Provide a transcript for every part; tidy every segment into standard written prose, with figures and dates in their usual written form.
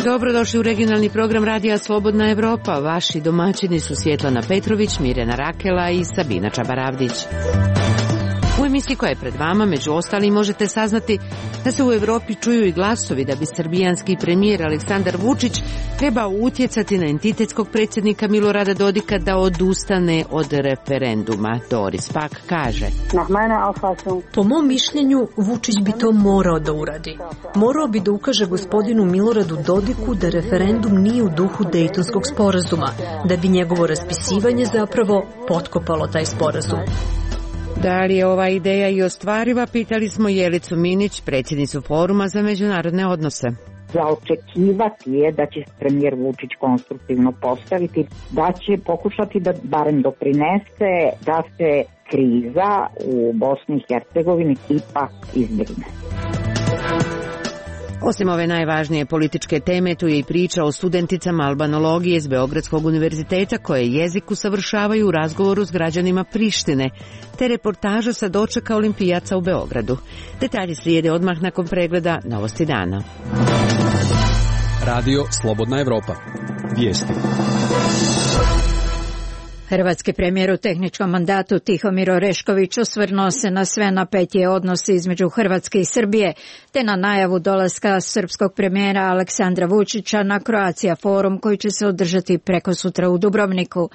Dobrodošli u regionalni program Radija Slobodna Evropa. Vaši domaćini su Svjetlana Petrović, Mirjana Rakela i Sabina Čabaravdić. U emisiji koja je pred vama, među ostalim, možete saznati da se u Evropi čuju i glasovi da bi srbijanski premijer Aleksandar Vučić trebao utjecati na entitetskog predsjednika Milorada Dodika da odustane od referenduma. Doris pak kaže: Po mom mišljenju, Vučić bi to morao da uradi. Morao bi da ukaže gospodinu Miloradu Dodiku da referendum nije u duhu Dejtonskog sporazuma, da bi njegovo raspisivanje zapravo potkopalo taj sporazum. Da li je ova ideja i ostvariva, pitali smo Jelicu Minić, predsjednicu Foruma za međunarodne odnose. Za očekivati je da će premijer Vučić konstruktivno postaviti, da će pokušati da barem doprinese da se kriza u Bosni i Hercegovini ipak izbjegne. Osim ove najvažnije političke teme, tu je i priča o studenticama albanologije iz Beogradskog univerziteta koje jezik usavršavaju u razgovoru s građanima Prištine, te reportaža sa dočeka olimpijaca u Beogradu. Detalji slijede odmah nakon pregleda Novosti dana. Radio Slobodna Evropa. Vijesti. Hrvatski premijer u tehničkom mandatu Tihomir Orešković osvrnuo se na sve napetije odnose između Hrvatske i Srbije, te na najavu dolaska srpskog premijera Aleksandra Vučića na Croatia forum koji će se održati prekosutra u Dubrovniku.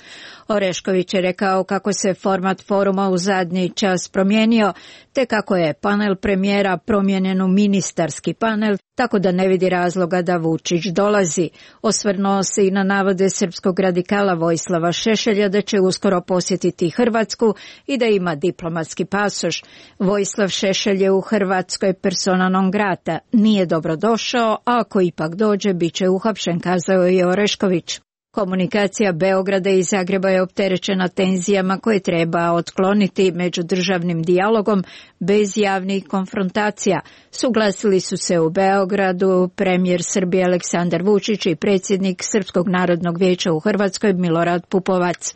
Orešković je rekao kako se format foruma u zadnji čas promijenio, te kako je panel premijera promijenjen u ministarski panel, tako da ne vidi razloga da Vučić dolazi. Osvrnuo se i na navode srpskog radikala Vojislava Šešelja da će uskoro posjetiti Hrvatsku i da ima diplomatski pasoš. Vojislav Šešelj je u Hrvatskoj persona non grata, nije dobro došao, a ako ipak dođe, bit će uhapšen, kazao je Orešković. Komunikacija Beograda i Zagreba je opterećena tenzijama koje treba otkloniti međudržavnim dijalogom bez javnih konfrontacija. Suglasili su se u Beogradu premijer Srbije Aleksandar Vučić i predsjednik Srpskog narodnog vijeća u Hrvatskoj Milorad Pupovac.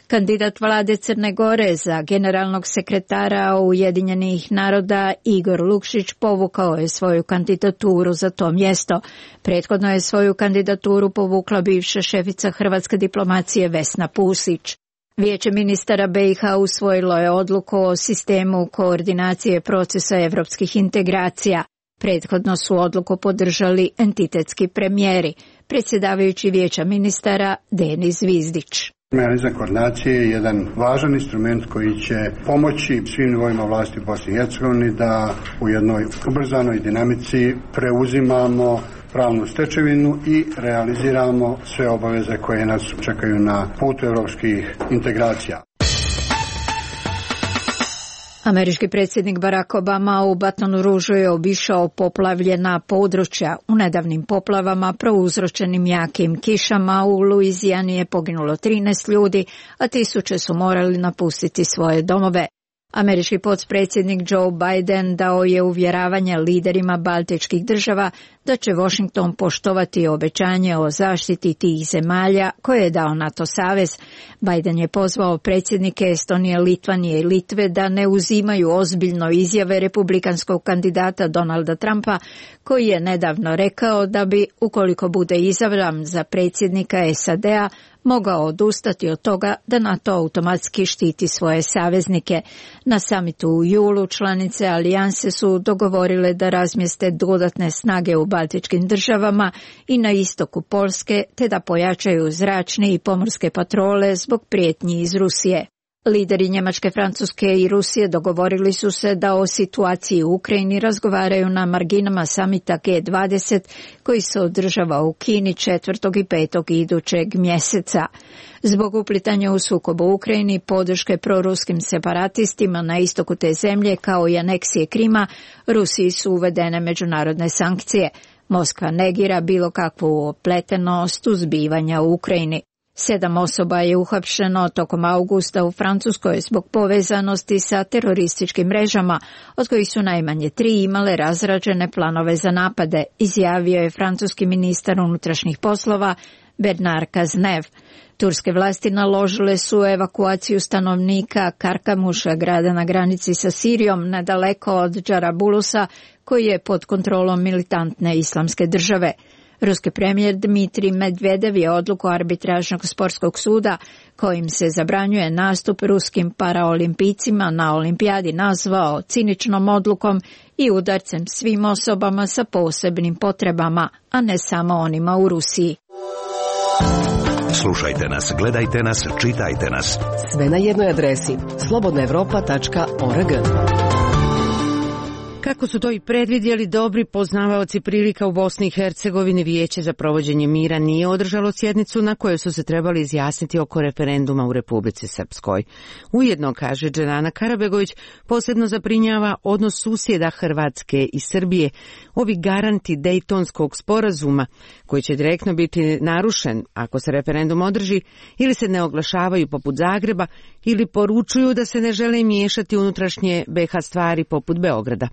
Kandidat vlade Crne Gore za generalnog sekretara Ujedinjenih naroda Igor Lukšić povukao je svoju kandidaturu za to mjesto. Prethodno je svoju kandidaturu povukla bivša šefica hrvatske diplomacije Vesna Pusić. Vijeće ministara BiH usvojilo je odluku o sistemu koordinacije procesa evropskih integracija. Prethodno su odluku podržali entitetski premijeri, predsjedavajući Vijeća ministara Denis Zvizdić. Mehanizam koordinacije je jedan važan instrument koji će pomoći svim nivoima vlasti u Bosni i Hercegovini da u jednoj ubrzanoj dinamici preuzimamo pravnu stečevinu i realiziramo sve obaveze koje nas čekaju na putu evropskih integracija. Američki predsjednik Barack Obama u Batonu Ružu je obišao poplavljena područja. U nedavnim poplavama prouzročenim jakim kišama u Luizijani je poginulo 13 ljudi, a tisuće su morali napustiti svoje domove. Američki potpredsjednik Joe Biden dao je uvjeravanje liderima baltičkih država da će Washington poštovati obećanje o zaštiti tih zemalja koje je dao NATO savez. Biden je pozvao predsjednike Estonije, Litvanije i Litve da ne uzimaju ozbiljno izjave republikanskog kandidata Donalda Trumpa, koji je nedavno rekao da bi, ukoliko bude izabran za predsjednika SAD-a, mogao odustati od toga da NATO automatski štiti svoje saveznike. Na samitu u julu članice alijanse su dogovorile da razmjeste dodatne snage u baltičkim državama i na istoku Poljske, te da pojačaju zračne i pomorske patrole zbog prijetnji iz Rusije. Lideri Njemačke, Francuske i Rusije dogovorili su se da o situaciji u Ukrajini razgovaraju na marginama samita G20 koji se održava u Kini 4. i 5. idućeg mjeseca. Zbog uplitanja u sukob u Ukrajini, podrške proruskim separatistima na istoku te zemlje kao i aneksije Krima, Rusiji su uvedene međunarodne sankcije. Moskva negira bilo kakvu opletenost u zbivanja u Ukrajini. 7 osoba je uhapšeno tokom augusta u Francuskoj zbog povezanosti sa terorističkim mrežama, od kojih su najmanje 3 imale razrađene planove za napade, izjavio je francuski ministar unutrašnjih poslova Bernard Cazeneuve. Turske vlasti naložile su evakuaciju stanovnika Karkamuša, grada na granici sa Sirijom, nedaleko od Džarabulusa, koji je pod kontrolom militantne islamske države. Ruski premijer Dmitrij Medvedev je odluku arbitražnog sportskog suda kojim se zabranjuje nastup ruskim paraolimpijcima na olimpijadi nazvao ciničnom odlukom i udarcem svim osobama sa posebnim potrebama, a ne samo onima u Rusiji. Slušajte nas, gledajte nas, čitajte nas. Sve na jednoj adresi slobodnaevropa.org. Kako su to i predvidjeli dobri poznavaoci prilika u Bosni i Hercegovini, Vijeće za provođenje mira nije održalo sjednicu na kojoj su se trebali izjasniti oko referenduma u Republici Srpskoj. Ujedno, kaže Dženana Karabegović, posebno zabrinjava odnos susjeda Hrvatske i Srbije, ovi garanti Dejtonskog sporazuma, koji će direktno biti narušen ako se referendum održi, ili se ne oglašavaju poput Zagreba, ili poručuju da se ne žele miješati unutrašnje BiH stvari poput Beograda,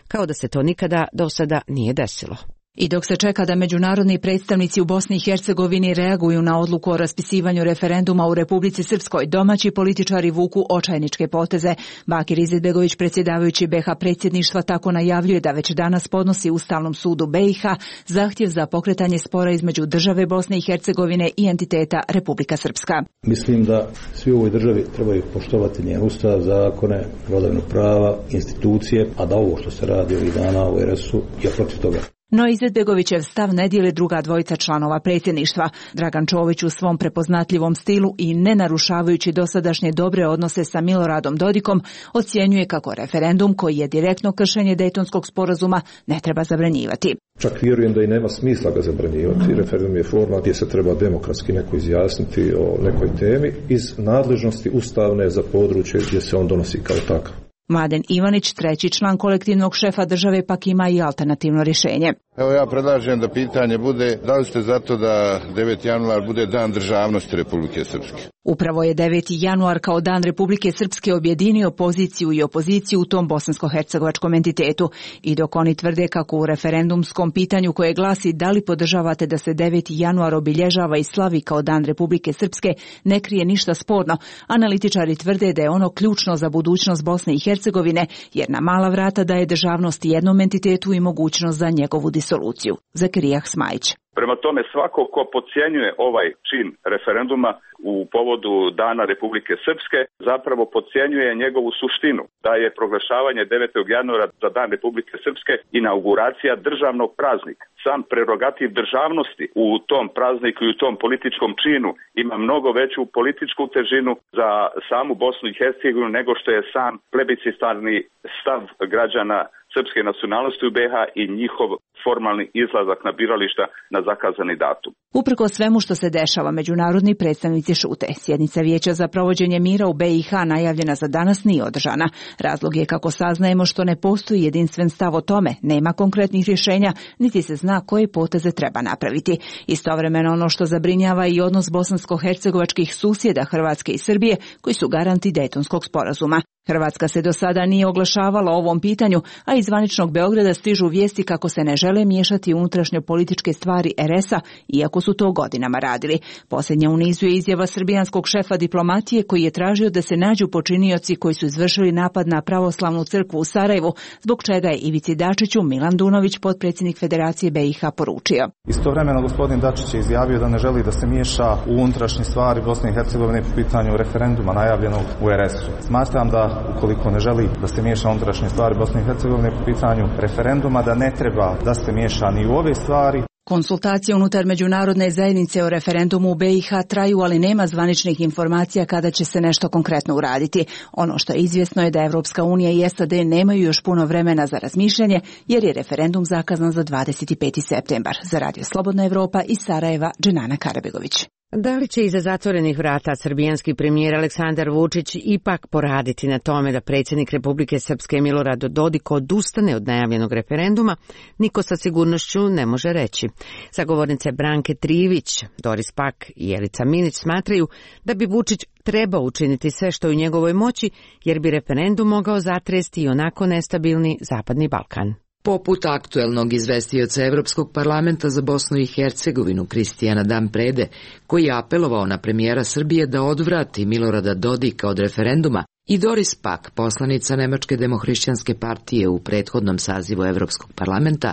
kao da se to nikada do sada nije desilo. I dok se čeka da međunarodni predstavnici u Bosni i Hercegovini reaguju na odluku o raspisivanju referenduma u Republici Srpskoj, domaći političari vuku očajničke poteze. Bakir Izetbegović, predsjedavajući BiH predsjedništva, tako najavljuje da već danas podnosi Ustavnom sudu BiH zahtjev za pokretanje spora između države Bosne i Hercegovine i entiteta Republika Srpska. Mislim da svi u ovoj državi trebaju poštovati njen ustav, zakone, vladavinu prava, institucije, a da ovo što se radi ovih dana u RS-u je protiv toga. No Izetbegovićev stav ne dijele druga dvojica članova predsjedništva. Dragan Čović u svom prepoznatljivom stilu i ne narušavajući dosadašnje dobre odnose sa Miloradom Dodikom ocjenjuje kako referendum, koji je direktno kršenje Dejtonskog sporazuma, ne treba zabranjivati. Čak vjerujem da i nema smisla ga zabranjivati. Referendum je forma gdje se treba demokratski neko izjasniti o nekoj temi iz nadležnosti ustavne za područje gdje se on donosi kao takav. Mladen Ivanić, treći član kolektivnog šefa države, pak ima i alternativno rješenje. Evo ja predlažem da pitanje bude da li ste zato da 9. januar bude dan državnosti Republike Srpske. Upravo je 9. januar kao dan Republike Srpske objedinio poziciju i opoziciju u tom bosansko-hercegovačkom entitetu. I dok oni tvrde kako u referendumskom pitanju koje glasi da li podržavate da se 9. januar obilježava i slavi kao dan Republike Srpske ne krije ništa sporno, analitičari tvrde da je ono ključno za budućnost Bosne i Hercegovine, jer na mala vrata daje državnost jednom entitetu i mogućnost za njegovu disoluciju. Zakirijah Smajić. Prema tome, svako ko podcjenjuje ovaj čin referenduma u povodu Dana Republike Srpske zapravo podcjenjuje njegovu suštinu, da je proglašavanje 9. januara za Dan Republike Srpske inauguracija državnog praznika. Sam prerogativ državnosti u tom prazniku i u tom političkom činu ima mnogo veću političku težinu za samu Bosnu i Hercegovinu nego što je sam plebiscitarni stav građana srpske nacionalnosti u BiH i njihov formalni izlazak na birališta na zakazani datum. Uprko svemu što se dešava, međunarodni predstavnici šute. Sjednica Vijeća za provođenje mira u BiH najavljena za danas nije održana. Razlog je, kako saznajemo, što ne postoji jedinstven stav o tome, nema konkretnih rješenja, niti se zna koje poteze treba napraviti. Istovremeno ono što zabrinjava i odnos bosansko-hercegovačkih susjeda Hrvatske i Srbije, koji su garanti Dejtonskog sporazuma. Hrvatska se do sada nije oglašavala o ovom pitanju, a iz zvaničnog Beograda stižu vijesti kako se ne žele miješati unutrašnje političke stvari RS-a, iako su to godinama radili. Posljednja u nizu je izjava srbijanskog šefa diplomatije koji je tražio da se nađu počinioci koji su izvršili napad na pravoslavnu crkvu u Sarajevu, zbog čega je Ivici Dačiću Milan Dunović, potpredsjednik Federacije BiH, poručio. Istovremeno gospodin Dačić je izjavio da ne želi da se miješa u unutrašnje stvari Bosne i Hercegovine po pitanju referenduma najavljenog u RS-u. Smatram da ukoliko ne želi da se miješa unutrašnje stvari Bosne i Hercegovine po pitanju referenduma, da ne treba da se miješa ni u ove stvari. Konsultacije unutar međunarodne zajednice o referendumu u BiH traju, ali nema zvaničnih informacija kada će se nešto konkretno uraditi. Ono što je izvjesno je da Evropska unija i SAD nemaju još puno vremena za razmišljanje, jer je referendum zakazan za 25. septembar. Za Radio Slobodna Evropa iz Sarajeva, Dženana Karabegović. Da li će iza zatvorenih vrata srbijanski premijer Aleksandar Vučić ipak poraditi na tome da predsjednik Republike Srpske Milorad Dodik odustane od najavljenog referenduma, niko sa sigurnošću ne može reći. Sagovornice Branke Trivić, Doris Pak i Jelica Minić smatraju da bi Vučić trebao učiniti sve što je u njegovoj moći, jer bi referendum mogao zatresti i onako nestabilni Zapadni Balkan. Poput aktuelnog izvestioca Evropskog parlamenta za Bosnu i Hercegovinu Kristijana Damprede, koji je apelovao na premijera Srbije da odvrati Milorada Dodika od referenduma, i Doris Pack, poslanica Nemačke demohrišćanske partije u prethodnom sazivu Evropskog parlamenta,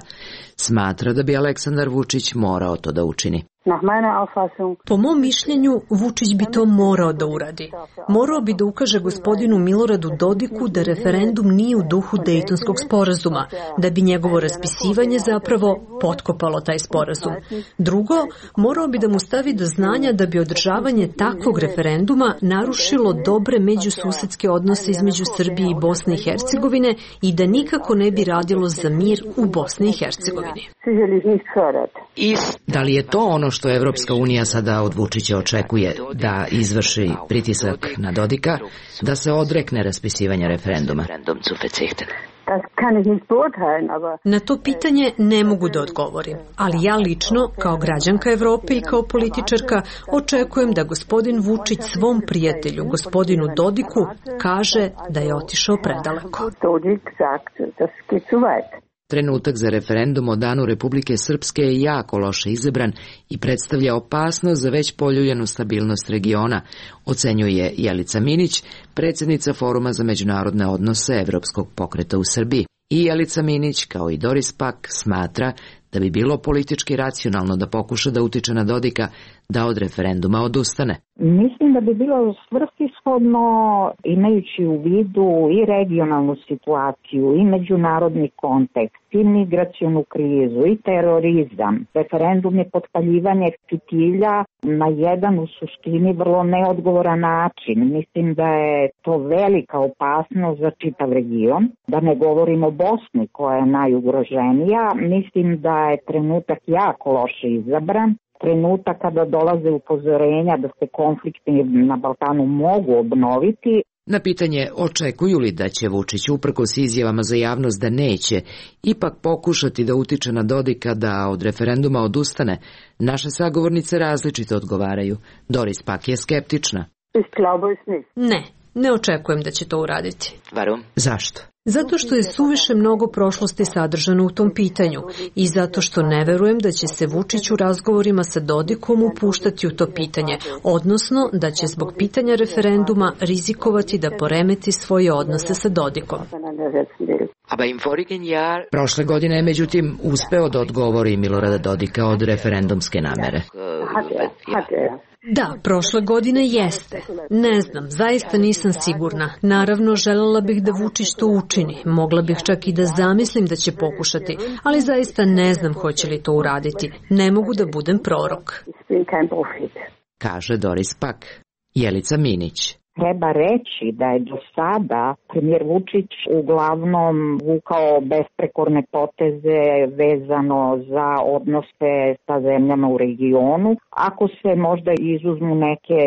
smatra da bi Aleksandar Vučić morao to da učini. Po mom mišljenju, Vučić bi to morao da uradi. Morao bi da ukaže gospodinu Miloradu Dodiku da referendum nije u duhu Dejtonskog sporazuma, da bi njegovo raspisivanje zapravo potkopalo taj sporazum. Drugo, morao bi da mu stavi do znanja da bi održavanje takvog referenduma narušilo dobre međususedske odnose između Srbije i Bosne i Hercegovine i da nikako ne bi radilo za mir u Bosni i Hercegovini. Da li je to ono što Evropska unija sada od Vučića očekuje, da izvrši pritisak na Dodika, da se odrekne raspisivanja referenduma? Na to pitanje ne mogu da odgovorim, ali ja lično, kao građanka Evrope i kao političarka, očekujem da gospodin Vučić svom prijatelju, gospodinu Dodiku, kaže da je otišao predaleko. Trenutak za referendum o danu Republike Srpske je jako loše izabran i predstavlja opasnost za već poljuljenu stabilnost regiona, ocenjuje Jelica Minić, predsjednica Foruma za međunarodne odnose Evropskog pokreta u Srbiji. I Jelica Minić, kao i Doris Pack, smatra da bi bilo politički racionalno da pokuša da utiče na Dodika da od referenduma odustane. Mislim da bi bilo svrsishodno, imajući u vidu i regionalnu situaciju, i međunarodni kontekst, i migracionu krizu, i terorizam. Referendum je potpaljivanje fitilja na jedan u suštini vrlo neodgovoran način. Mislim da je to velika opasnost za čitav region. Da ne govorimo o Bosni koja je najugroženija. Mislim da je trenutak jako loše izabran. Trenutak kada dolaze upozorenja da se konflikti na Balkanu mogu obnoviti. Na pitanje očekuju li da će Vučić uprkos izjavama za javnost da neće ipak pokušati da utiče na Dodika da od referenduma odustane, naše sagovornice različito odgovaraju. Doris Pack je skeptična. Ne očekujem da će to uraditi. Zašto? Zato što je suviše mnogo prošlosti sadržano u tom pitanju i zato što ne verujem da će se Vučić u razgovorima sa Dodikom upuštati u to pitanje, odnosno da će zbog pitanja referenduma rizikovati da poremeti svoje odnose sa Dodikom. Prošle godine je međutim uspeo da odgovori Milorada Dodika od referendumske namere. Da, prošle godine jeste. Ne znam, zaista nisam sigurna. Naravno, željela bih da Vučić to učini. Mogla bih čak i da zamislim da će pokušati, ali zaista ne znam hoće li to uraditi. Ne mogu da budem prorok. Kaže Doris Pack. Jelica Minić. Treba reći da je do sada premijer Vučić uglavnom vukao besprekorne poteze vezano za odnose sa zemljama u regionu. Ako se možda izuzmu neke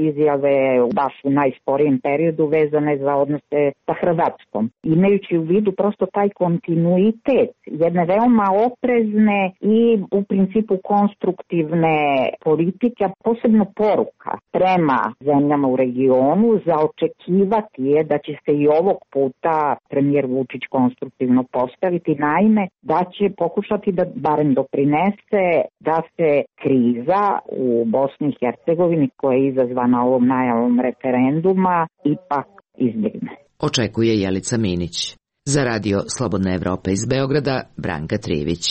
izjave baš u najsporijem periodu vezane za odnose sa Hrvatskom. Imajući u vidu prosto taj kontinuitet jedne veoma oprezne i u principu konstruktivne politike, posebno poruka prema zemljama u regionu, za očekivati je da će se i ovog puta premijer Vučić konstruktivno postaviti, naime da će pokušati da barem doprinese da se kriza u Bosni i Hercegovini koja je izazvana ovom najavom referenduma ipak izbjegne. Očekuje Jelica Minić. Za radio Slobodna Evropa iz Beograda, Branka Trivić.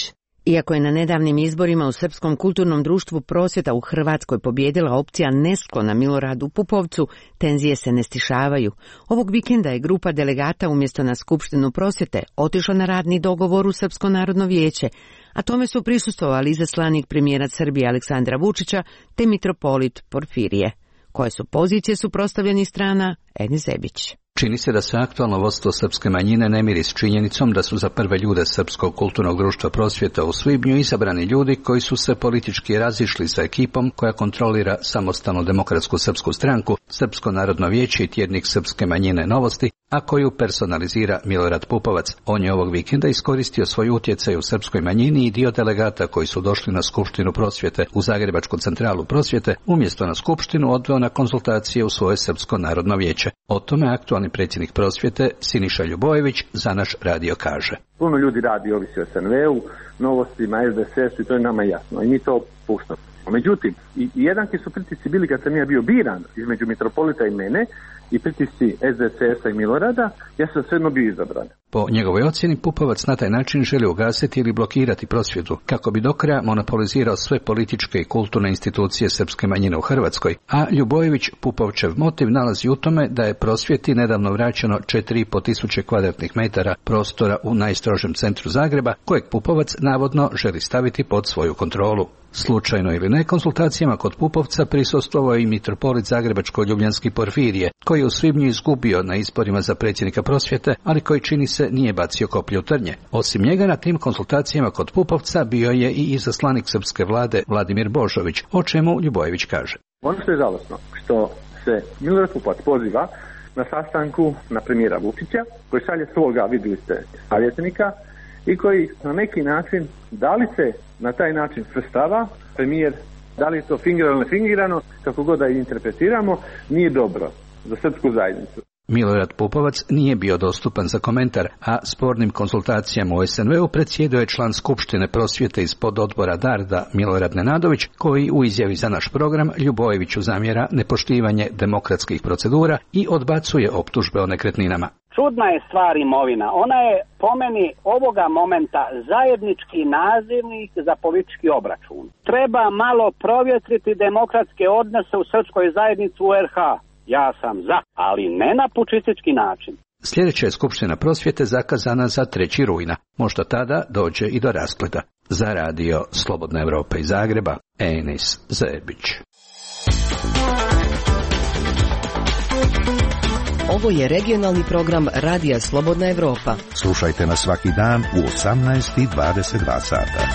Iako je na nedavnim izborima u Srpskom kulturnom društvu Prosvjeta u Hrvatskoj pobjedila opcija nesklona Miloradu Pupovcu, tenzije se ne stišavaju. Ovog vikenda je grupa delegata umjesto na Skupštinu Prosvjete otišla na radni dogovor u Srpsko narodno vijeće, a tome su prisustvovali izaslanik premijera Srbije Aleksandra Vučića te mitropolit Porfirije. Koje su pozicije suprotstavljenih strana, Edi Zebić. Čini se da se aktualno vodstvo srpske manjine ne miri s činjenicom da su za prve ljude Srpskog kulturnog društva Prosvjeta u svibnju izabrani ljudi koji su se politički razišli sa ekipom koja kontrolira samostalnu demokratsku srpsku stranku, Srpsko narodno vijeće i tjednik srpske manjine Novosti, a koju personalizira Milorad Pupovac. On je ovog vikenda iskoristio svoj utjecaj u srpskoj manjini i dio delegata koji su došli na Skupštinu prosvjete u Zagrebačku centralu prosvjete, umjesto na Skupštinu odveo na konzultacije u svoje Srpsko narodno vijeće. O tome aktualni predsjednik prosvjete Siniša Ljubojević za naš radio kaže. Puno ljudi radi, ovisi o SNV-u, Novostima, SDSS-u i to je nama jasno i mi to puštamo. Međutim, i jednaki su pritisci bili kad sam ja bio biran između mitropolita i mene i pritisci SDSS-a i Milorada, ja sam svejedno bio izabran. Po njegovoj ocjeni Pupovac na taj način želi ugasiti ili blokirati prosvjedu kako bi do kraja monopolizirao sve političke i kulturne institucije srpske manjine u Hrvatskoj, a Ljubojević Pupovčev motiv nalazi u tome da je prosvjeti nedavno vraćeno 4,5 tisuće kvadratnih metara prostora u najstrožem centru Zagreba, kojeg Pupovac navodno želi staviti pod svoju kontrolu. Slučajno ili ne, konsultacijama kod Pupovca prisustvovao i mitropolit Zagrebačko-Ljubljanski Porfirije, koji je u svibnju izgubio na izborima za predsjednika prosvjete, ali koji čini se nije bacio koplje u trnje. Osim njega na tim konsultacijama kod Pupovca bio je i izaslanik srpske vlade Vladimir Božović, o čemu Ljubojević kaže. Ono što je žalosno, što se Milorad Pupovac poziva na sastanku na premijera Vučića, koji šalje svoga, vidjeli ste, savjetnika, i koji na neki način, da li se na taj način svrstava premijer, da li je to fingirano ili fingirano, kako god da interpretiramo, nije dobro za srpsku zajednicu. Milorad Pupovac nije bio dostupan za komentar, a spornim konsultacijama u SNV-u predsjedao je član Skupštine prosvjete iz pododbora Darda Milorad Nenadović, koji u izjavi za naš program Ljubojeviću zamjera nepoštivanje demokratskih procedura i odbacuje optužbe o nekretninama. Čudna je stvar imovina. Ona je po meni ovoga momenta zajednički nazivnik za politički obračun. Treba malo provjetriti demokratske odnose u srpskoj zajednici u RH. Ja sam za, ali ne na pučistički način. Sljedeća je Skupština prosvjete zakazana za 3. rujna. Možda tada dođe i do raspleta. Za radio Slobodna Evropa iz Zagreba, Enis Zebić. Ovo je regionalni program Radija Slobodna Evropa. Slušajte nas svaki dan u 18:22 sata.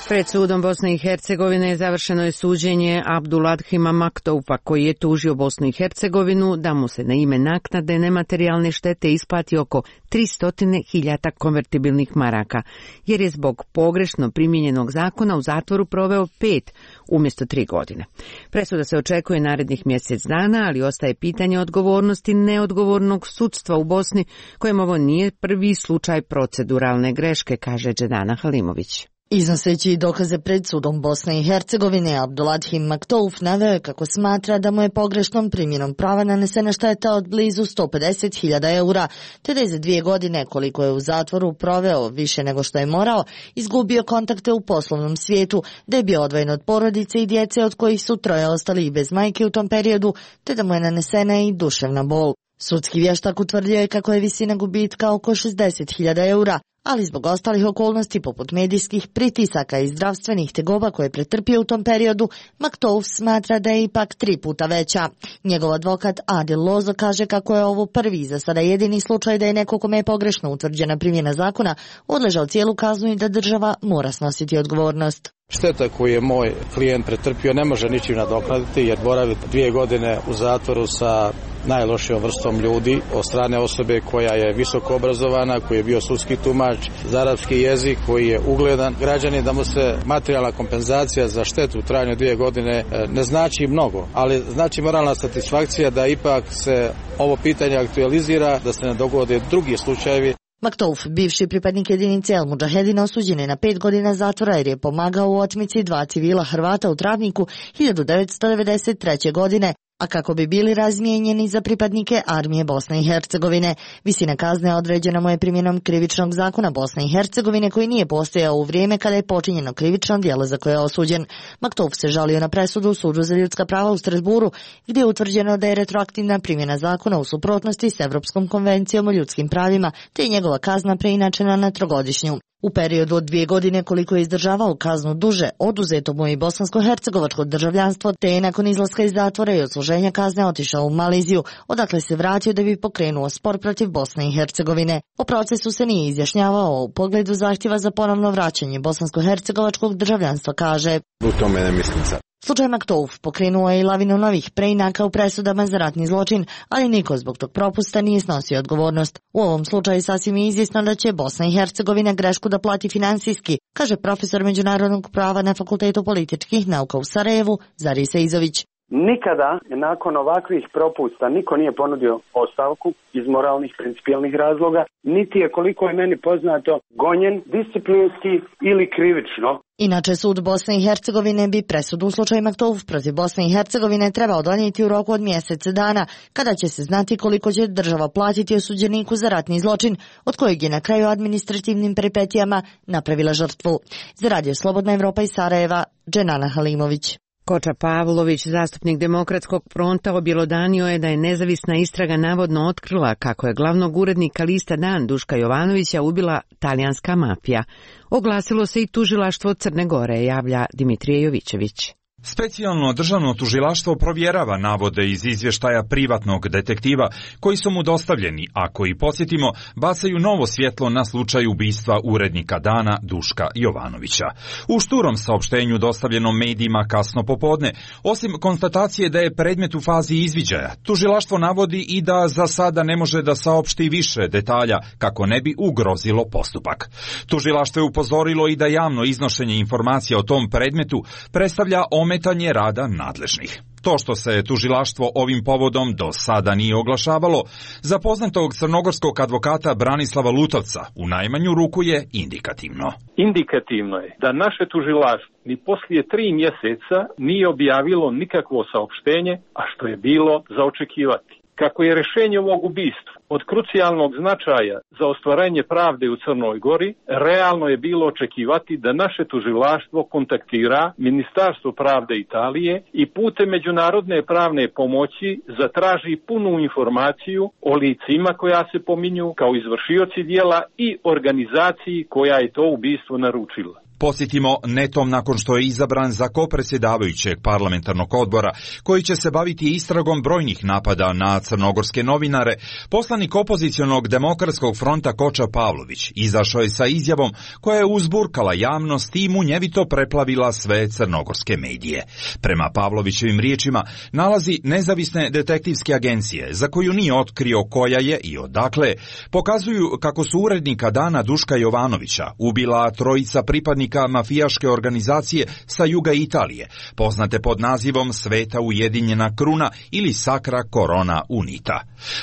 Pred sudom Bosne i Hercegovine završeno je suđenje Abduladhima Maktoufa, koji je tužio Bosnu i Hercegovinu da mu se na ime naknade nematerijalne štete isplati oko 300.000 konvertibilnih maraka, jer je zbog pogrešno primijenjenog zakona u zatvoru proveo 5 umjesto 3 godine. Presuda se očekuje narednih mjesec dana, ali ostaje pitanje odgovornosti neodgovornog sudstva u Bosni, kojem ovo nije prvi slučaj proceduralne greške, kaže Džedana Halimović. Iznoseći dokaze pred sudom Bosne i Hercegovine, Abduladhim Maktouf naveo je kako smatra da mu je pogrešnom primjenom prava nanesena šteta od blizu 150.000 eura, te da je za 2 godine, koliko je u zatvoru proveo više nego što je morao, izgubio kontakte u poslovnom svijetu, da je bio odvojen od porodice i djece od kojih su 3 ostali i bez majke u tom periodu, te da mu je nanesena i duševna bol. Sudski vještak utvrdio je kako je visina gubitka oko 60.000 eura, ali zbog ostalih okolnosti poput medijskih pritisaka i zdravstvenih tegoba koje je pretrpio u tom periodu, Maktouf smatra da je ipak 3 puta veća. Njegov advokat Adil Lozo kaže kako je ovo prvi za sada jedini slučaj da je neko kome je pogrešno utvrđena primjena zakona odležao cijelu kaznu i da država mora snositi odgovornost. Šteta koju je moj klijent pretrpio ne može ničim nadoknaditi jer boravi 2 godine u zatvoru sa najlošijom vrstom ljudi od strane osobe koja je visoko obrazovana, koji je bio sudski tumač za arapski jezik, koji je ugledan građanin, da mu se materijalna kompenzacija za štetu u trajanju 2 godine ne znači mnogo, ali znači moralna satisfakcija da ipak se ovo pitanje aktualizira, da se ne dogode drugi slučajevi. Maktouf, bivši pripadnik jedinice El Mudžahedina, osuđen je na 5 godina zatvora jer je pomagao u otmici 2 civila Hrvata u Travniku 1993. godine, a kako bi bili razmijenjeni za pripadnike armije Bosne i Hercegovine. Visina kazne određena mu je primjenom krivičnog zakona Bosne i Hercegovine koji nije postojao u vrijeme kada je počinjeno krivično djelo za koje je osuđen. Maktouf se žalio na presudu u Sudu za ljudska prava u Strasburu, gdje je utvrđeno da je retroaktivna primjena zakona u suprotnosti s Evropskom konvencijom o ljudskim pravima, te je njegova kazna preinačena na 3-godišnju. U periodu od 2 godine koliko je izdržavao kaznu duže, oduzeto mu je bosansko-hercegovačko državljanstvo, te je nakon izlaska iz zatvora i odsluženja kazne otišao u Maliziju, odakle se vratio da bi pokrenuo spor protiv Bosne i Hercegovine. O procesu se nije izjašnjavao, u pogledu zahtjeva za ponovno vraćanje bosansko-hercegovačkog državljanstva kaže: U tome ne mislim sad. Slučaj Maktouf pokrenuo je i lavinu novih preinaka u presudama za ratni zločin, ali niko zbog tog propusta nije snosio odgovornost. U ovom slučaju sasvim je izvjesno da će Bosna i Hercegovina grešku da plati finansijski, kaže profesor međunarodnog prava na Fakultetu političkih nauka u Sarajevu, Zari Seizović. Nikada nakon ovakvih propusta niko nije ponudio ostavku iz moralnih, principijelnih razloga, niti je, koliko je meni poznato, gonjen disciplinski ili krivično. Inače, sud Bosne i Hercegovine bi presudu u slučaju Maktouf protiv Bosne i Hercegovine trebao donijeti u roku od mjesec dana, kada će se znati koliko će država platiti osuđeniku za ratni zločin, od kojeg je na kraju administrativnim peripetijama napravila žrtvu. Za Radio Slobodna Evropa iz Sarajeva, Dženana Halimović. Koča Pavlović, zastupnik Demokratskog fronta, objelodanio je da je nezavisna istraga navodno otkrila kako je glavnog urednika lista Dan Duška Jovanovića ubila talijanska mafija. Oglasilo se i tužilaštvo Crne Gore, javlja Dimitrije Jovićević. Specijalno državno tužilaštvo provjerava navode iz izvještaja privatnog detektiva koji su mu dostavljeni, a koji, podsjetimo, bacaju novo svjetlo na slučaj ubistva urednika Dana Duška Jovanovića. U šturom saopštenju dostavljenom medijima kasno popodne, osim konstatacije da je predmet u fazi izviđaja, tužilaštvo navodi i da za sada ne može da saopšti više detalja kako ne bi ugrozilo postupak. Tužilaštvo je upozorilo i da javno iznošenje informacija o tom predmetu predstavlja ometanje rada nadležnih. To što se tužilaštvo ovim povodom do sada nije oglašavalo, za poznatog crnogorskog advokata Branislava Lutovca u najmanju ruku je indikativno. Indikativno je da naše tužilaštvo ni poslije 3 mjeseca nije objavilo nikakvo saopštenje, a što je bilo za očekivati. Kako je rješenje ovog ubistva od krucijalnog značaja za ostvarenje pravde u Crnoj Gori, realno je bilo očekivati da naše tužilaštvo kontaktira Ministarstvo pravde Italije i putem međunarodne pravne pomoći zatraži punu informaciju o licima koja se pominju kao izvršioci djela i organizaciji koja je to ubistvo naručila. Posjetimo, netom nakon što je izabran za kopredsjedavajućeg parlamentarnog odbora, koji će se baviti istragom brojnih napada na crnogorske novinare, poslanik opozicionog Demokratskog fronta Koča Pavlović izašao je sa izjavom koja je uzburkala javnost i munjevito preplavila sve crnogorske medije. Prema Pavlovićevim riječima, nalazi nezavisne detektivske agencije, za koju nije otkrio koja je i odakle, pokazuju kako su urednika Dana Duška Jovanovića ubila trojica pripadnika mafijaške organizacije sa juga Italije, poznate pod nazivom Sveta ujedinjena kruna ili Sacra Corona Unita.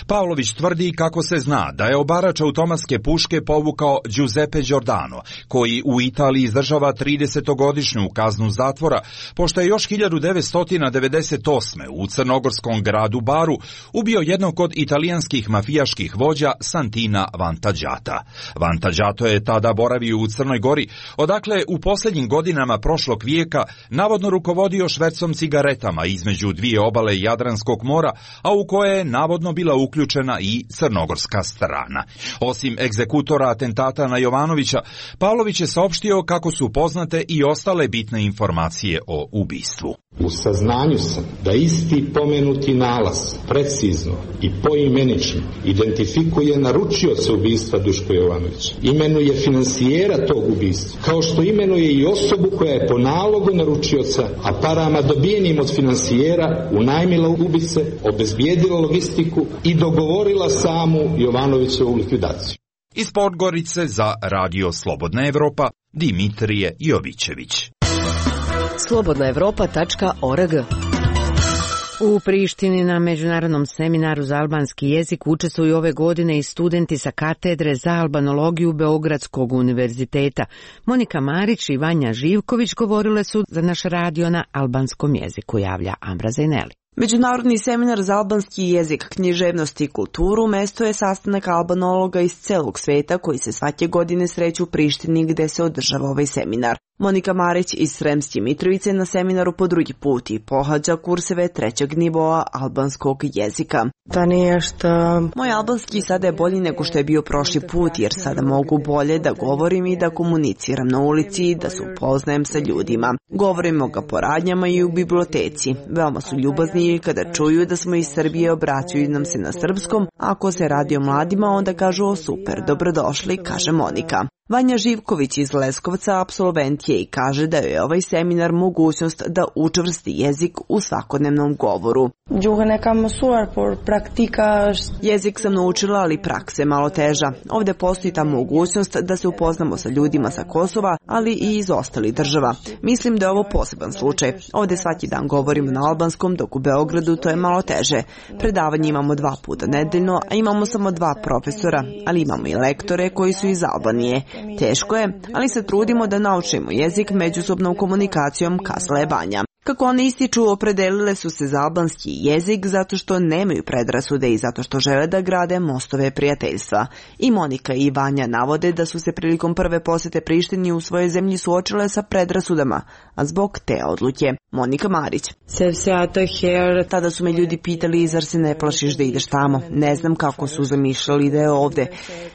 Pavlović tvrdi kako se zna da je obarač automatske puške povukao Giuseppe Giordano, koji u Italiji izdržava 30-godišnju kaznu zatvora, pošto je još 1998. u crnogorskom gradu Baru ubio jednog od italijanskih mafijaških vođa Santina Vantagiata. Vantagiato je tada boravio u Crnoj Gori, odakle u posljednjim godinama prošlog vijeka navodno rukovodio švercom cigaretama između dvije obale Jadranskog mora, a u koje je navodno bila uključena i crnogorska strana. Osim egzekutora atentata na Jovanovića, Pavlović je saopštio kako su poznate i ostale bitne informacije o ubistvu. U saznanju sam da isti pomenuti nalaz precizno i poimenično identifikuje naručioca ubistva Duška Jovanovića, imenuje finansijera tog ubistva, kao što imenuje i osobu koja je po nalogu naručioca, a parama dobijenim od finansijera unajmila ubice, obezbijedila logistiku i dogovorila samu Jovanovićevu likvidaciju. Iz Podgorice za Radio Slobodna Evropa, Dimitrije Jovićević. slobodnaevropa.org. U Prištini na međunarodnom seminaru za albanski jezik učestvuju ove godine i studenti sa katedre za albanologiju Beogradskog univerziteta. Monika Marić i Vanja Živković govorile su za naš radio na albanskom jeziku, javlja Ambra Zajneli. Međunarodni seminar za albanski jezik, književnost i kulturu mesto je sastanak albanologa iz celog sveta koji se svake godine sreću u Prištini gde se održava ovaj seminar. Monika Marić iz Sremske Mitrovice na seminaru po drugi put i pohađa kurseve 3. nivoa albanskog jezika. Moj albanski sada je bolji nego što je bio prošli put jer sada mogu bolje da govorim i da komuniciram na ulici, da se upoznajem sa ljudima. Govorimo ga po radnjama i u biblioteci. Veoma su ljubazni i kada čuju da smo iz Srbije obraćaju nam se na srpskom. Ako se radi o mladima onda kažu super, dobrodošli, kaže Monika. Vanja Živković iz Leskovca apsolvent je i kaže da je ovaj seminar mogućnost da učvrsti jezik u svakodnevnom govoru. Jezik sam naučila, ali praksa je malo teža. Ovde postoji ta mogućnost da se upoznamo sa ljudima sa Kosova, ali i iz ostalih država. Mislim da je ovo poseban slučaj. Ovde svaki dan govorimo na albanskom, dok u Beogradu to je malo teže. Predavanje imamo 2 puta nedeljno, a imamo samo 2 profesora, ali imamo i lektore koji su iz Albanije. Teško je, ali se trudimo da naučimo jezik međusobnom komunikacijom, kazala je Vanja. Kako one ističu, opredelile su se za albanski jezik zato što nemaju predrasude i zato što žele da grade mostove prijateljstva. I Monika i Vanja navode da su se prilikom prve posete Prištini u svojoj zemlji suočile sa predrasudama, a zbog te odluke. Monika Marić. Tada su me ljudi pitali, zar se ne plašiš da ideš tamo? Ne znam kako su zamišljali da je ovde.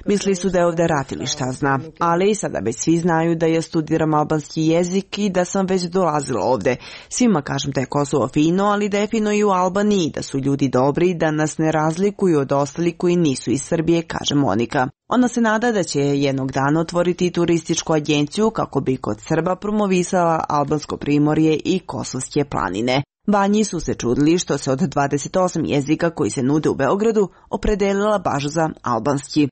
Mislili su da je ovde rat ili šta zna. Ali i sada već svi znaju da ja studiram albanski jezik i da sam već dolazila ovde. Svima kažem da je Kosovo fino, ali da je fino i u Albaniji, da su ljudi dobri, da nas ne razlikuju od ostalih koji nisu iz Srbije, kaže Monika. Ona se nada da će jednog dana otvoriti turističku agenciju kako bi kod Srba promovisala albansko primorje i kosovske planine. Vanji su se čudili što se od 28 jezika koji se nude u Beogradu opredelila baš za albanski.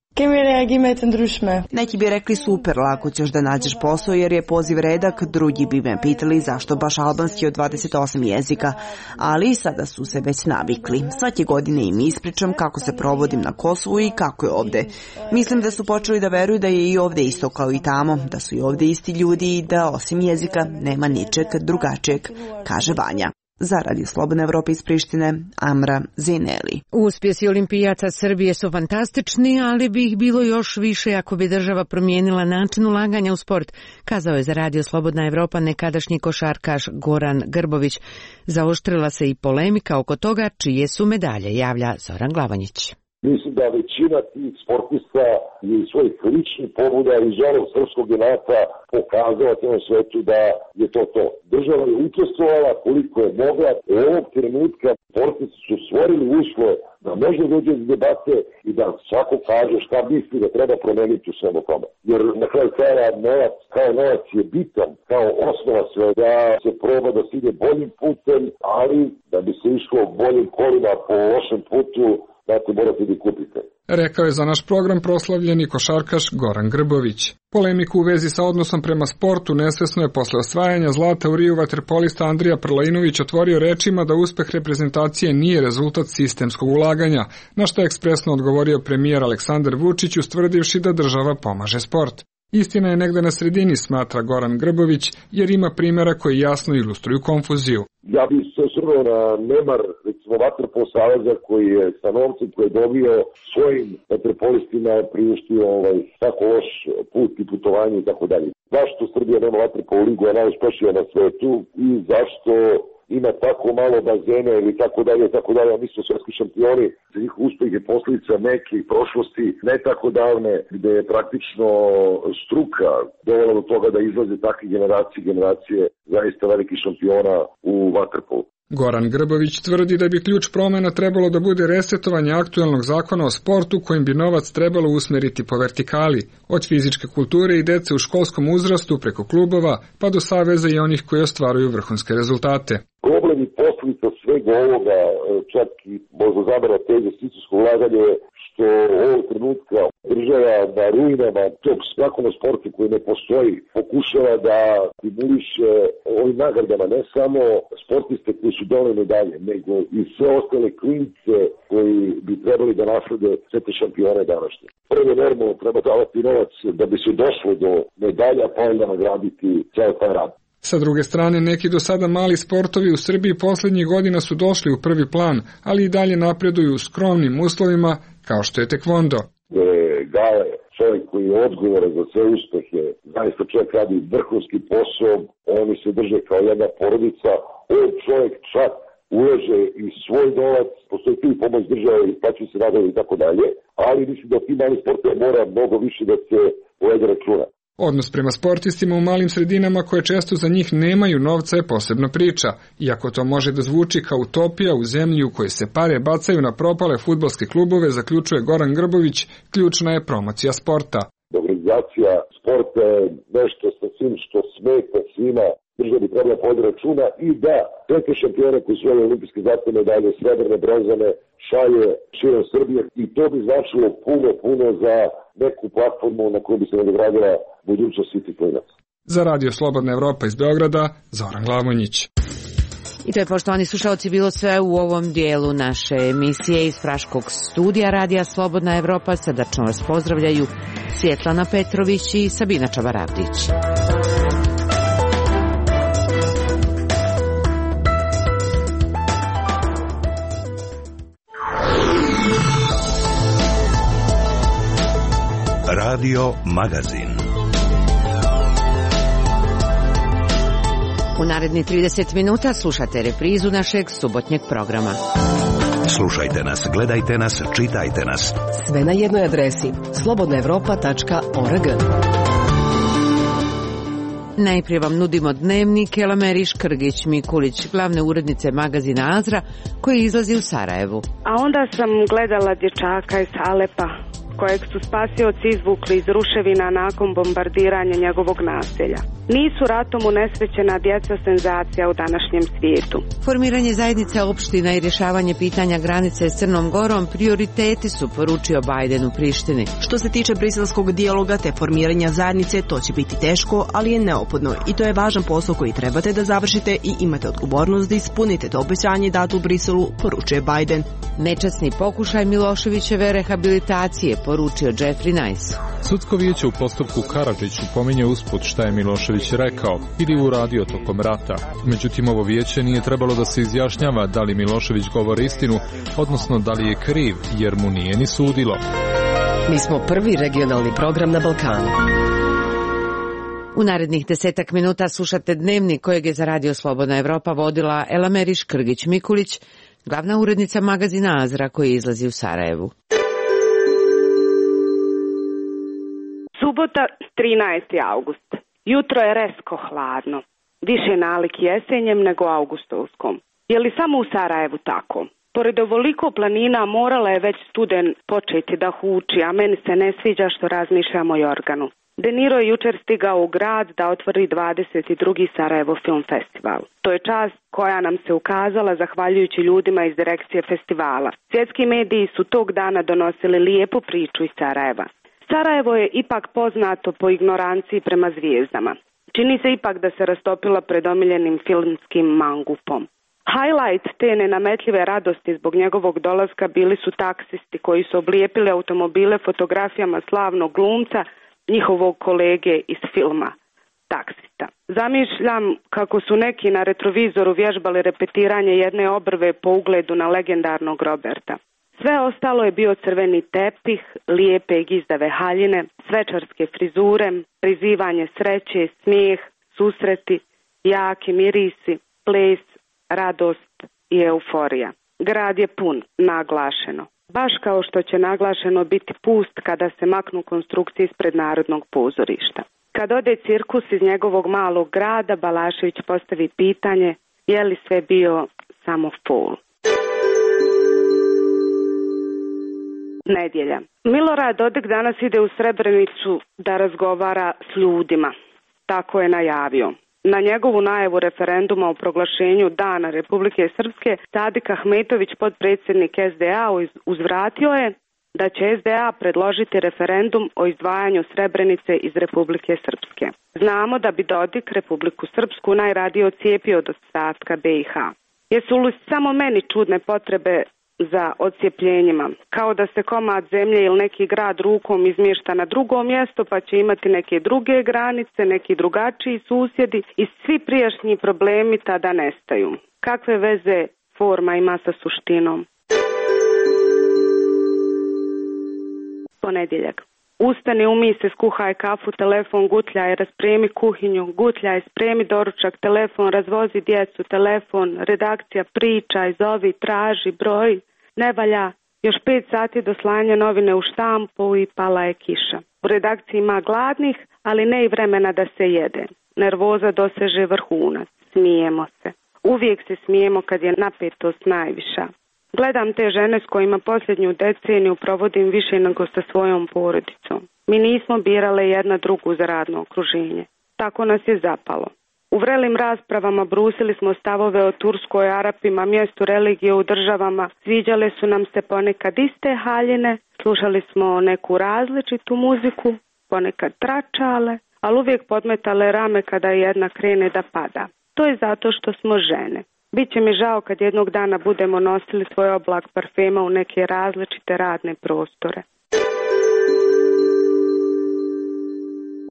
Neki bi rekli super, lako ćeš da nađeš posao jer je poziv redak, drugi bi me pitali zašto baš albanski od 28 jezika, ali sada su se već navikli. Svake godine im ispričam kako se provodim na Kosovu i kako je ovde. Mislim da su počeli da veruju da je i ovde isto kao i tamo, da su i ovde isti ljudi i da osim jezika nema ničeg drugačijeg, kaže Vanja. Za Radio Slobodna Evropa iz Prištine, Amra Zineli. Uspjesi olimpijaca Srbije su fantastični, ali bi ih bilo još više ako bi država promijenila način ulaganja u sport, kazao je za Radio Slobodna Evropa nekadašnji košarkaš Goran Grbović. Zaoštrila se i polemika oko toga čije su medalje, javlja Zoran Glavanjić. Mislim da većina tih sportista je iz svojih ličnih pobuda iz ovog srpskog inata pokazala cijelom svetu da je to. Država je učestvovala koliko je mogla. U ovog trenutka sportisti su stvorili uslove da može dođe iz debate i da svako kaže šta misli da treba promeniti u svemu tome. Jer na kraju krajeva novac je bitan kao osnova sve da se proba da se ide boljim putem, ali da bi se išlo boljim kolima po lošem putu, dakle morate da kupite. Rekao je za naš program proslavljeni košarkaš Goran Grbović. Polemiku u vezi sa odnosom prema sportu nesvesno je posle osvajanja zlata u Riju vaterpolista Andrija Prlajinović otvorio rečima da uspeh reprezentacije nije rezultat sistemskog ulaganja, na što je ekspresno odgovorio premijer Aleksandar Vučić ustvrdivši da država pomaže sport. Istina je negde na sredini, smatra Goran Grbović, jer ima primjera koji jasno ilustruju konfuziju. Ja bih se osvrnuo na nemar, recimo, Vaterpol saveza koji je sa novcem koji je dobio svojim vaterpolistima priuštio tako loš put i putovanje i tako dalje. Zašto Srbija nema Vaterpol ligu, je najuspešnija na svetu i zašto ima tako malo bazena ili tako dalje, mi smo svetski šampioni, za njih uspeh je posljedica nekih prošlosti ne tako davne, gde je praktično struka dovela do toga da izlaze takve generacije zaista velikih šampiona u vaterpolu. Goran Grbović tvrdi da bi ključ promena trebalo da bude resetovanje aktuelnog zakona o sportu kojim bi novac trebalo usmeriti po vertikali, od fizičke kulture i dece u školskom uzrastu preko klubova pa do saveza i onih koji ostvaruju vrhunske rezultate. Problem i posljedica svega ovoga, čak i možda zabara te investicijsko ulaganje, što ovog trenutka država na ruinama tog zakona o sportu koji ne postoji, pokušava da stimuliše ovim nagradama ne samo sportiste koji su doneli medalje, nego i sve ostale klince koji bi trebali da naslede sve te šampione današnje. Prvo normalno treba davati novac da bi se došlo do medalja, pa onda nagraditi ceo taj rad. Sa druge strane, neki do sada mali sportovi u Srbiji posljednjih godina su došli u prvi plan, ali i dalje napreduju u skromnim uslovima, kao što je tekvondo. Gale, čovjek koji je odgovoran za sve uspehe, zaista čovjek radi vrhunski posao, oni se drže kao jedna porodica, on čovjek čak ulaže i svoj novac, postoji tu i pomoć države i plaćaju se radovi i tako dalje, ali mislim da ti mali sportove mora mnogo više da se povede računa. Odnos prema sportistima u malim sredinama koje često za njih nemaju novca je posebna priča, iako to može da zvuči kao utopija u zemlji u kojoj se pare bacaju na propale fudbalske klubove, zaključuje Goran Grbović, ključna je promocija sporta. Da politizacija sporta je nešto sa svim što smeta svima, država bi trebala povodi računa i da sve te šampione koji su ove olimpijske zlatne medalje, srebrne, bronzane, šalje širom Srbije i to bi značilo puno za neku platformu na kojoj bi se nadogradila budućnost svih tih klinaca. Za Radio Slobodna Evropa iz Beograda, Zoran Glavonjić. I to je, poštovani slušalci, bilo sve u ovom dijelu naše emisije iz Praškog studija Radija Slobodna Evropa. Srdačno vas pozdravljaju Svjetlana Petrović i Sabina Čabaravdić. Radio Magazin. U naredni 30 minuta slušate reprizu našeg subotnjeg programa. Slušajte nas, gledajte nas, čitajte nas. Sve na jednoj adresi slobodnaevropa.org. Najprije vam nudimo dnevnik Elameri Škrgić-Mikulić, glavne urednice magazina Azra, koji izlazi u Sarajevu. A onda sam gledala dječaka iz Alepa, kojeg su spasioci izvukli iz ruševina nakon bombardiranja njegovog naselja. Nisu ratom unesrećena djeca senzacija u današnjem svijetu. Formiranje zajednice opština i rješavanje pitanja granice s Crnom Gorom prioriteti su, poručio Biden u Prištini. Što se tiče briselskog dijaloga te formiranja zajednice, to će biti teško, ali je neophodno i to je važan posao koji trebate da završite i imate odgovornost da ispunite to obećanje dato u Briselu, poručuje Biden. Nečasni pokušaj Miloševićeve rehabilitacije, poručio Jeffrey Nice. Sudsko vijeće u postupku Karadžiću pominje usput šta je Milošević rekao ili uradio tokom rata. Međutim, ovo vijeće nije trebalo da se izjašnjava da li Milošević govori istinu, odnosno da li je kriv, jer mu nije ni sudilo. Mi smo prvi regionalni program na Balkanu. U narednih 10 minuta slušate dnevnik kojeg je za Radio Slobodna Evropa vodila Elameri Škrgić-Mikulić, glavna urednica magazina Azra koji izlazi u Sarajevu. Subota, 13. august. Jutro je resko hladno. Više nalik jesenjem nego augustovskom. Je li samo u Sarajevu tako? Pored ovoliko planina morala je već studen početi da huči, a meni se ne sviđa što razmišljam o Jorganu. De Niro je jučer stigao u grad da otvori 22. Sarajevo Film Festival. To je čast koja nam se ukazala zahvaljujući ljudima iz direkcije festivala. Svjetski mediji su tog dana donosili lijepu priču iz Sarajeva. Sarajevo je ipak poznato po ignoranciji prema zvijezdama. Čini se ipak da se rastopila pred omiljenim filmskim mangupom. Highlight te nenametljive radosti zbog njegovog dolaska bili su taksisti koji su oblijepili automobile fotografijama slavnog glumca, njihovog kolege iz filma Taksista. Zamišljam kako su neki na retrovizoru vježbali repetiranje jedne obrve po ugledu na legendarnog Roberta. Sve ostalo je bio crveni tepih, lijepe i gizdave haljine, svečarske frizure, prizivanje sreće, smijeh, susreti, jaki mirisi, ples, radost i euforija. Grad je pun, naglašeno. Baš kao što će naglašeno biti pust kada se maknu konstrukcije ispred Narodnog pozorišta. Kad ode cirkus iz njegovog malog grada, Balašević postavi pitanje je li sve bio samo fol. Nedjelja. Milorad Dodik danas ide u Srebrenicu da razgovara s ljudima. Tako je najavio. Na njegovu najavu referenduma o proglašenju Dana Republike Srpske, Sadik Ahmetović, potpredsjednik SDA, uzvratio je da će SDA predložiti referendum o izdvajanju Srebrenice iz Republike Srpske. Znamo da bi Dodik Republiku Srpsku najradije odcijepio od ostatka BiH. Jesu li samo meni čudne potrebe za odcijepljenjima, kao da se komad zemlje ili neki grad rukom izmješta na drugo mjesto pa će imati neke druge granice, neki drugačiji susjedi i svi prijašnji problemi tada nestaju. Kakve veze forma ima sa suštinom? Ponedjeljak. Ustani, umij se, skuhaj kafu, telefon, gutljaj, raspremi kuhinju, gutljaj, spremi doručak, telefon, razvozi djecu, telefon, redakcija, pričaj, zovi, traži, broj. Ne valja, još 5 sati do slanja novine u štampu i pala je kiša. U redakciji ima gladnih, ali ne i vremena da se jede. Nervoza doseže vrhunac, smijemo se. Uvijek se smijemo kad je napetost najviša. Gledam te žene s kojima posljednju deceniju provodim više nego sa svojom porodicom. Mi nismo birale jedna drugu za radno okruženje. Tako nas je zapalo. U vrelim raspravama brusili smo stavove o Turskoj, Arapima, mjestu religije u državama. Sviđale su nam se ponekad iste haljine, slušali smo neku različitu muziku, ponekad tračale, ali uvijek podmetale rame kada jedna krene da pada. To je zato što smo žene. Biće mi žao kad jednog dana budemo nosili svoj oblak parfema u neke različite radne prostore.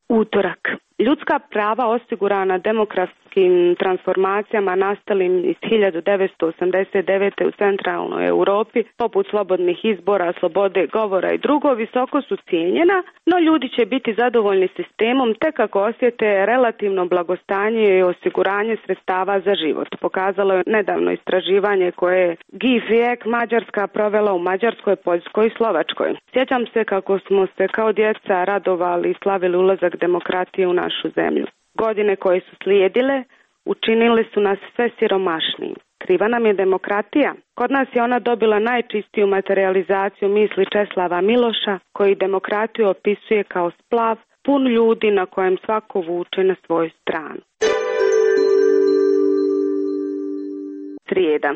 Utorak. Ljudska prava osigurana demokratskim transformacijama nastalim iz 1989. u centralnoj Europi, poput slobodnih izbora, slobode govora i drugo, visoko su cijenjena, no ljudi će biti zadovoljni sistemom tek ako osjete relativno blagostanje i osiguranje sredstava za život. Pokazalo je nedavno istraživanje koje je GIF Mađarska provela u Mađarskoj, Poljskoj i Slovačkoj. Sjećam se kako smo se kao djeca radovali i slavili ulazak demokratije u našu zemlju. Godine koje su slijedile učinili su nas sve siromašnijim. Kriva nam je demokratija. Kod nas je ona dobila najčistiju materializaciju misli Česlava Miloša, koji demokratiju opisuje kao splav pun ljudi na kojem svako vuče na svoju stranu. Srijeda.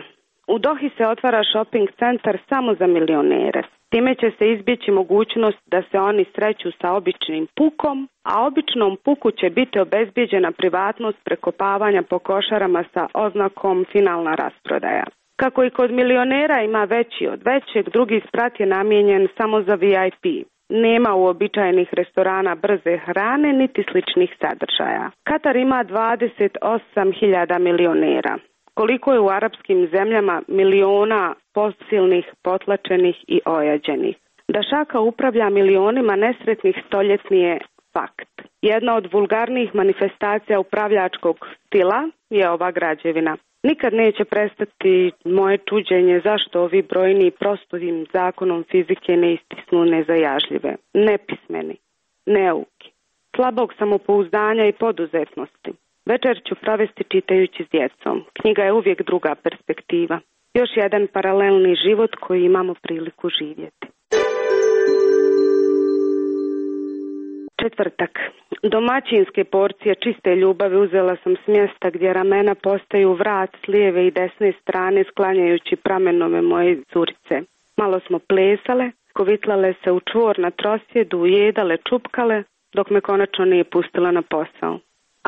U Dohi se otvara shopping centar samo za milionere. Time će se izbjeći mogućnost da se oni sreću sa običnim pukom, a običnom puku će biti obezbijeđena privatnost prekopavanja po košarama sa oznakom finalna rasprodaja. Kako i kod milionera ima veći od većeg, drugi sprat je namijenjen samo za VIP. Nema uobičajenih restorana brze hrane niti sličnih sadržaja. Katar ima 28.000 milionera. Koliko je u arapskim zemljama miliona posilnih, potlačenih i ojađenih. Da šaka upravlja milionima nesretnih stoljetni je fakt. Jedna od vulgarnijih manifestacija upravljačkog stila je ova građevina. Nikad neće prestati moje čuđenje zašto ovi brojni prostovim zakonom fizike ne istisnu nezajažljive, nepismeni, neuki, slabog samopouzdanja i poduzetnosti. Večer ću provesti čitajući s djecom. Knjiga je uvijek druga perspektiva. Još jedan paralelni život koji imamo priliku živjeti. Četvrtak. Domaćinske porcije čiste ljubavi uzela sam s mjesta gdje ramena postaju vrat s lijeve i desne strane sklanjajući pramenove moje curice. Malo smo plesale, kovitlale se u čvor na trosjedu, jedale, čupkale, dok me konačno nije pustila na posao.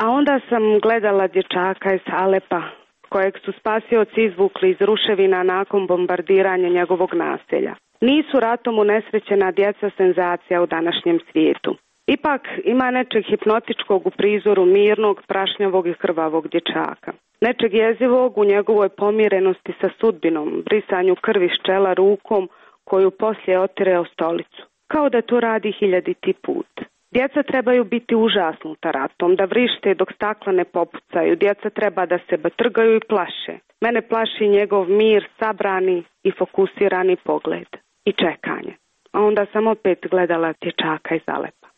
A onda sam gledala dječaka iz Alepa, kojeg su spasioci izvukli iz ruševina nakon bombardiranja njegovog naselja. Nisu ratom unesrećena djeca senzacija u današnjem svijetu. Ipak ima nečeg hipnotičkog u prizoru mirnog, prašnjavog i krvavog dječaka. Nečeg jezivog u njegovoj pomirenosti sa sudbinom, brisanju krvi s čela rukom koju poslije otire o stolicu. Kao da to radi 1000. put. Djeca trebaju biti užasnuta ratom, da vrište dok stakla ne popucaju. Djeca treba da se batrgaju i plaše. Mene plaši njegov mir, sabrani i fokusirani pogled. I čekanje. A onda sam opet gledala dječaka iz Alepa.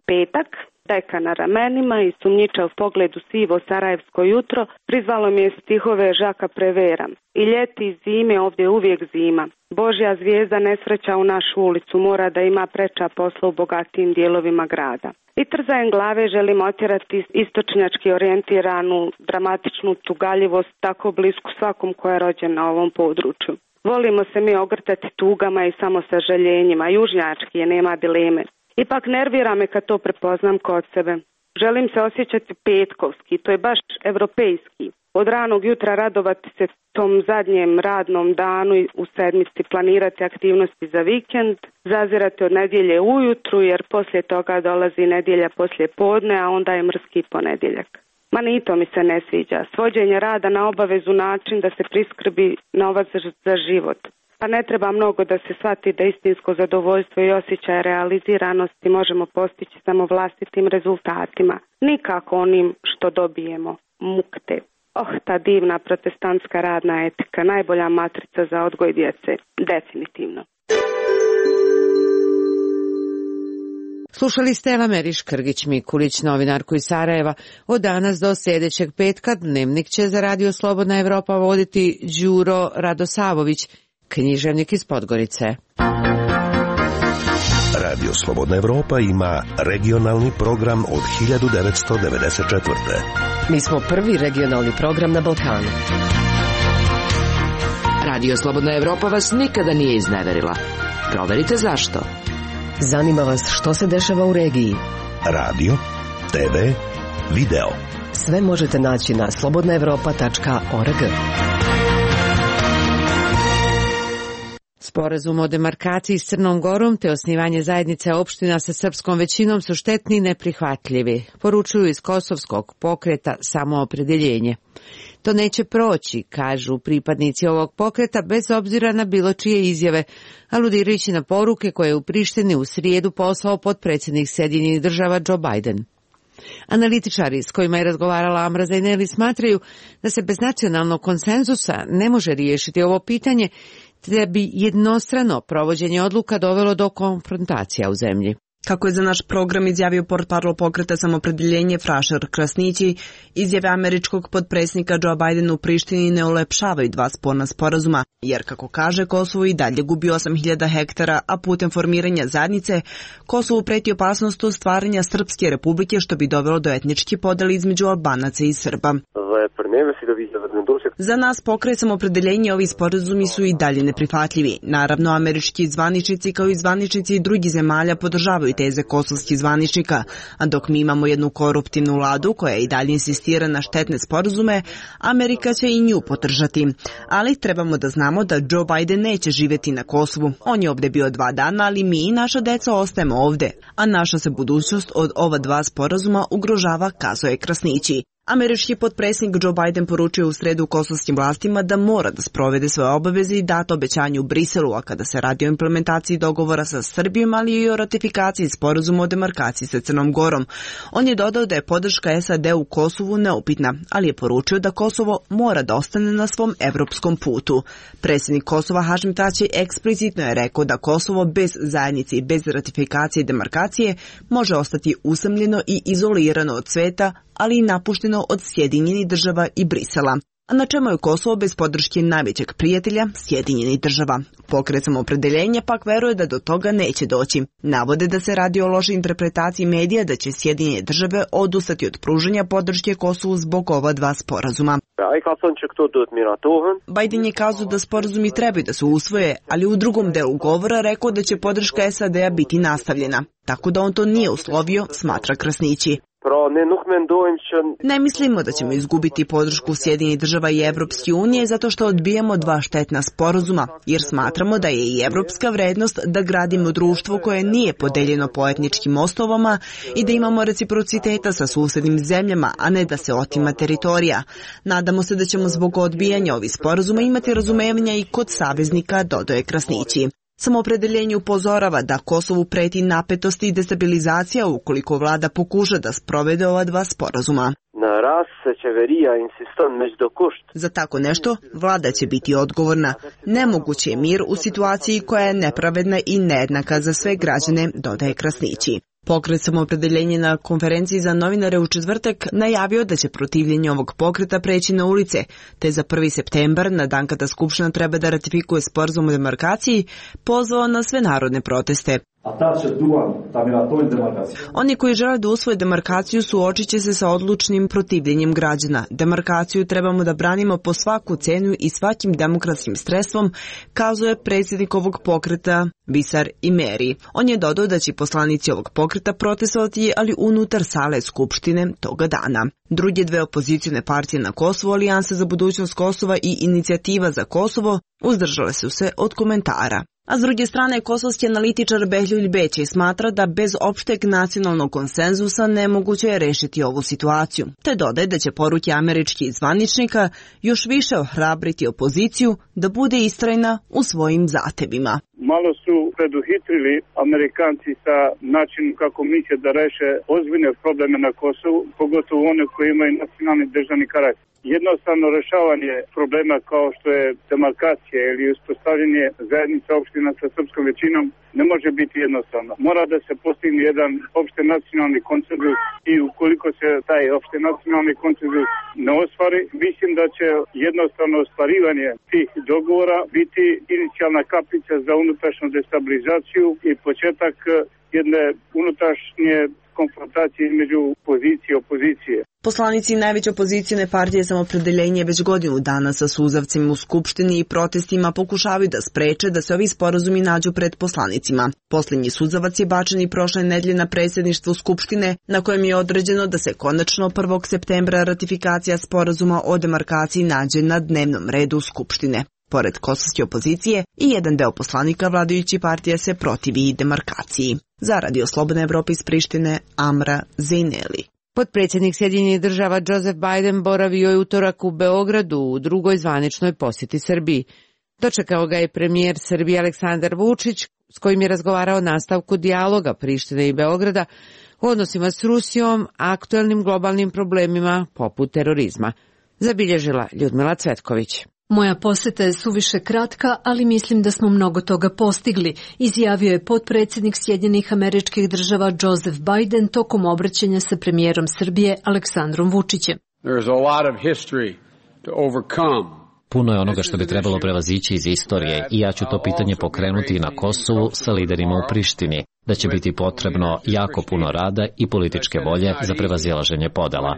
Petak, deka na ramenima i sumnjičav pogled u sivo sarajevsko jutro, prizvalo mi je stihove Žaka Prevera. I ljeti i zime, ovdje uvijek zima. Božja zvijezda nesreća u našu ulicu, mora da ima preča posla u bogatijim dijelovima grada. I trzajem glave želim otjerati istočnjački orijentiranu, dramatičnu tugaljivost tako blisku svakom ko je rođen na ovom području. Volimo se mi ogrtati tugama i samo sažaljenjima, južnjački je, nema dileme. Ipak nervira me kad to prepoznam kod sebe. Želim se osjećati petkovski, to je baš evropejski. Od ranog jutra radovati se tom zadnjem radnom danu i u sedmici planirati aktivnosti za vikend, zazirati od nedjelje ujutru jer poslije toga dolazi nedjelja poslije podne, a onda je mrski ponedjeljak. Ma ni to mi se ne sviđa. Svođenje rada na obavezu način da se priskrbi novac za život. Pa ne treba mnogo da se shvati da istinsko zadovoljstvo i osjećaj realiziranosti možemo postići samo vlastitim rezultatima. Nikako onim što dobijemo, mukte. Ta divna protestantska radna etika, najbolja matrica za odgoj djece. Definitivno. Slušali ste Eva Meriš-Krgić-Mikulić, novinarku iz Sarajeva. Od danas do sljedećeg petka Dnevnik će za Radio Slobodna Evropa voditi Đuro Radosavović, književnik iz Podgorice. Radio Slobodna Evropa ima regionalni program od 1994. Mi smo prvi regionalni program na Balkanu. Radio Slobodna Evropa vas nikada nije izneverila. Proverite zašto. Zanima vas što se dešava u regiji. Radio, TV, video. Sve možete naći na slobodnaevropa.org. Sporazum o demarkaciji s Crnom Gorom te osnivanje zajednice opština sa srpskom većinom su štetni i neprihvatljivi, poručuju iz kosovskog pokreta Samoopredeljenje. To neće proći, kažu pripadnici ovog pokreta, bez obzira na bilo čije izjave, aludirajući na poruke koje je u Prištini u srijedu poslao potpredsjednik Sjedinjenih Država Joe Biden. Analitičari s kojima je razgovarala Amra Zaineli smatraju da se bez nacionalnog konsenzusa ne može riješiti ovo pitanje, te bi jednostrano provođenje odluka dovelo do konfrontacija u zemlji. Kako je za naš program izjavio portparol pokreta Samopredeljenje Frašer Krasnići, izjave američkog potpredsjednika Joe Bidena u Prištini ne ulepšavaju dva sporna sporazuma, jer kako kaže Kosovo i dalje gubi 8000 hektara, a putem formiranja zajednice Kosovu preti opasnost stvaranja Srpske republike, što bi dovelo do etničke podele između Albanaca i Srba. Za nas pokret Samopredeljenje ovi sporazumi su i dalje neprihvatljivi. Naravno, američki zvaničnici kao i zvaničnici drugih zemalja podržavaju teze kosovskih zvaničnika, a dok mi imamo jednu koruptivnu vladu koja i dalje insistira na štetne sporazume, Amerika će i nju podržati. Ali trebamo da znamo da Joe Biden neće živjeti na Kosovu. On je ovdje bio 2 dana, ali mi i naša deca ostajemo ovdje, a naša se budućnost od ova dva sporazuma ugrožava, kazao je Krasnići. Američki potpredsjednik Joe Biden poručio u sredu kosovskim vlastima da mora da sprovede svoje obaveze i dato obećanje u Briselu, a kada se radi o implementaciji dogovora sa Srbijom, ali i o ratifikaciji sporazuma o demarkaciji sa Crnom Gorom. On je dodao da je podrška SAD u Kosovu neupitna, ali je poručio da Kosovo mora da ostane na svom evropskom putu. Predsjednik Kosova Hašim Tači eksplicitno je rekao da Kosovo bez zajednice i bez ratifikacije i demarkacije može ostati usamljeno i izolirano od sveta, ali i napušteno od Sjedinjenih Država i Brisela. A na čemu je Kosovo bez podrške najvećeg prijatelja, Sjedinjenih Država? Pokret Samopredeljenja pak veruje da do toga neće doći. Navode da se radi o lošoj interpretaciji medija da će Sjedinjene Države odustati od pružanja podrške Kosovu zbog ova dva sporazuma. Biden je kazao da sporazumi trebaju da se usvoje, ali u drugom delu govora rekao da će podrška SAD-a biti nastavljena. Tako da on to nije uslovio, smatra Krasnići. Ne mislimo da ćemo izgubiti podršku Sjedinjenih Država i Evropske unije zato što odbijamo dva štetna sporazuma, jer smatramo da je i evropska vrednost da gradimo društvo koje nije podeljeno po etničkim osnovama i da imamo reciprociteta sa susednim zemljama, a ne da se otima teritorija. Nadamo se da ćemo zbog odbijanja ovih sporazuma imati razumevanja i kod saveznika, dodaje Krasnići. Samopredeljenje upozorava da Kosovu preti napetost i destabilizacija ukoliko vlada pokuša da sprovede ova dva sporazuma. Za tako nešto vlada će biti odgovorna. Nemoguće je mir u situaciji koja je nepravedna i nejednaka za sve građane, dodaje Krasnići. Pokret Samopredeljenje na konferenciji za novinare u četvrtak najavio da će protivljenje ovog pokreta preći na ulice, te za 1. septembar, na dan kada Skupština treba da ratifikuje sporazum o demarkaciji, pozvao na sve narodne proteste. Oni koji žele da usvoje demarkaciju suočit će se sa odlučnim protivljenjem građana. Demarkaciju trebamo da branimo po svaku cenu i svakim demokratskim sredstvom, kazuje predsjednik ovog pokreta Visar Imeri. On je dodao da će poslanici ovog pokreta protestovati, ali unutar sale Skupštine toga dana. Druge dve opozicijne partije na Kosovu, Alijansa za budućnost Kosova i Inicijativa za Kosovo, uzdržale su se od komentara. A s druge strane, kosovski analitičar Behlul Beći smatra da bez opšteg nacionalnog konsenzusa nemoguće je rešiti ovu situaciju, te dodaje da će poruke američkih zvaničnika još više ohrabriti opoziciju da bude istrajna u svojim zahtevima. Malo su preduhitrili Amerikanci sa načinom kako misle da reše ozbiljne probleme na Kosovu, pogotovo one koji imaju nacionalni državni karakter. jednostavno rešavanje problema kao što je demarkacija ili uspostavljanje zajednica opština sa srpskom većinom ne može biti jednostavno. Mora da se postigne jedan opšte nacionalni konsenzus i ukoliko se taj opšte nacionalni konsenzus ne ostvari, mislim da će jednostavno ostvarivanje tih dogovora biti inicijalna kapica za unutrašnju destabilizaciju i početak jedne unutrašnje konfrontacije između pozicije i opozicije. Poslanici najveće opozicione partije Samopredeljenje već godinu dana sa suzavcima u Skupštini i protestima pokušavaju da spreče da se ovi sporazumi nađu pred poslanicima. Posljednji suzavac je bačen i prošle nedelje na predsjedništvu Skupštine, na kojem je određeno da se konačno 1. septembra ratifikacija sporazuma o demarkaciji nađe na dnevnom redu Skupštine. Pored kosovske opozicije i jedan deo poslanika vladajući partija se protivi demarkaciji. Za Radio Slobodna Evropa iz Prištine, Amra Zejneli. Potpredsjednik Sjedinjenih Država Joseph Biden boravio je utorak u Beogradu u drugoj zvaničnoj posjeti Srbiji. Dočekao ga je premijer Srbije Aleksandar Vučić, s kojim je razgovarao o nastavku dijaloga Prištine i Beograda u odnosima s Rusijom, aktuelnim globalnim problemima poput terorizma. Zabilježila Ljudmila Cvetković. Moja poseta je suviše kratka, ali mislim da smo mnogo toga postigli, izjavio je potpredsjednik Sjedinjenih Američkih Država Joseph Biden tokom obraćanja sa premijerom Srbije Aleksandrom Vučićem. Puno je onoga što bi trebalo prevazići iz istorije i ja ću to pitanje pokrenuti na Kosovu sa liderima u Prištini, da će biti potrebno jako puno rada i političke volje za prevazilaženje podela.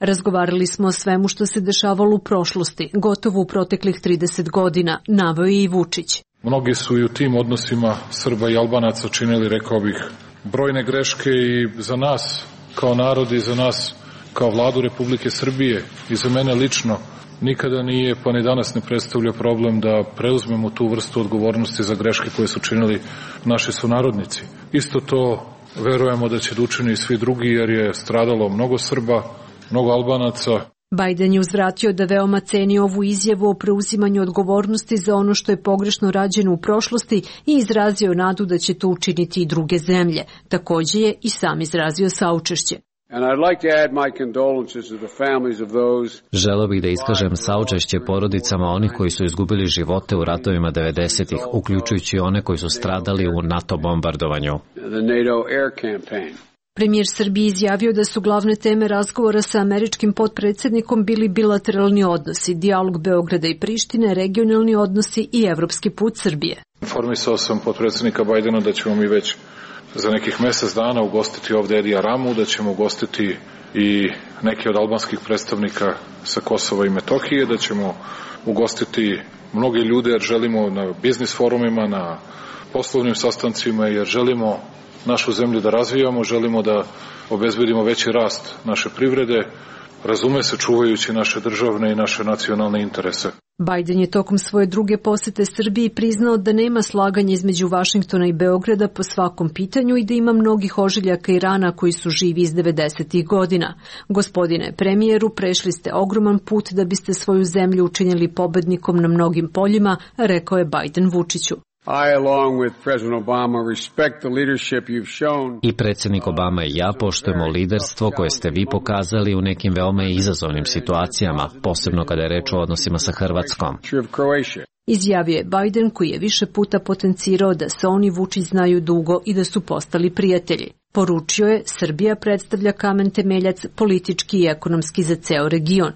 Razgovarali smo o svemu što se dešavalo u prošlosti, gotovo u proteklih 30 godina, naveo je i Vučić. Mnogi su i u tim odnosima Srba i Albanaca činili, rekao bih, brojne greške i za nas kao narod i za nas kao vladu Republike Srbije i za mene lično nikada nije, pa ni danas ne predstavlja problem da preuzmemo tu vrstu odgovornosti za greške koje su činili naši sunarodnici. Isto to verujemo da će da učini i svi drugi, jer je stradalo mnogo Srba, mnogo Albanaca. Biden je uzvratio da veoma ceni ovu izjavu o preuzimanju odgovornosti za ono što je pogrešno rađeno u prošlosti i izrazio nadu da će to učiniti i druge zemlje. Također je i sam izrazio saučešće. Želeo bih da iskažem saučešće porodicama onih koji su izgubili živote u ratovima 90-ih, uključujući one koji su stradali u NATO bombardovanju. Premijer Srbije izjavio da su glavne teme razgovora sa američkim potpredsjednikom bili bilateralni odnosi, dijalog Beograda i Prištine, regionalni odnosi i evropski put Srbije. Informisao sam potpredsjednika Bajdena da ćemo mi već za nekih mjesec dana ugostiti ovdje Edija Ramu, da ćemo ugostiti i neke od albanskih predstavnika sa Kosova i Metohije, da ćemo ugostiti mnoge ljude jer želimo na biznis forumima, na poslovnim sastancima, jer želimo našu zemlju da razvijamo, želimo da obezbedimo veći rast naše privrede, razume se čuvajući naše državne i naše nacionalne interese. Biden je tokom svoje druge posete Srbiji priznao da nema slaganja između Vašingtona i Beograda po svakom pitanju i da ima mnogih ožiljaka i rana koji su živi iz 90-ih godina. Gospodine premijeru, prešli ste ogroman put da biste svoju zemlju učinili pobednikom na mnogim poljima, rekao je Biden Vučiću. I predsjednik Obama i ja poštujemo liderstvo koje ste vi pokazali u nekim veoma izazovnim situacijama, posebno kada je reč o odnosima sa Hrvatskom. Izjavio je Biden, koji je više puta potencirao da se oni Vučić znaju dugo i da su postali prijatelji. Poručio je, Srbija predstavlja kamen temeljac politički i ekonomski za ceo region.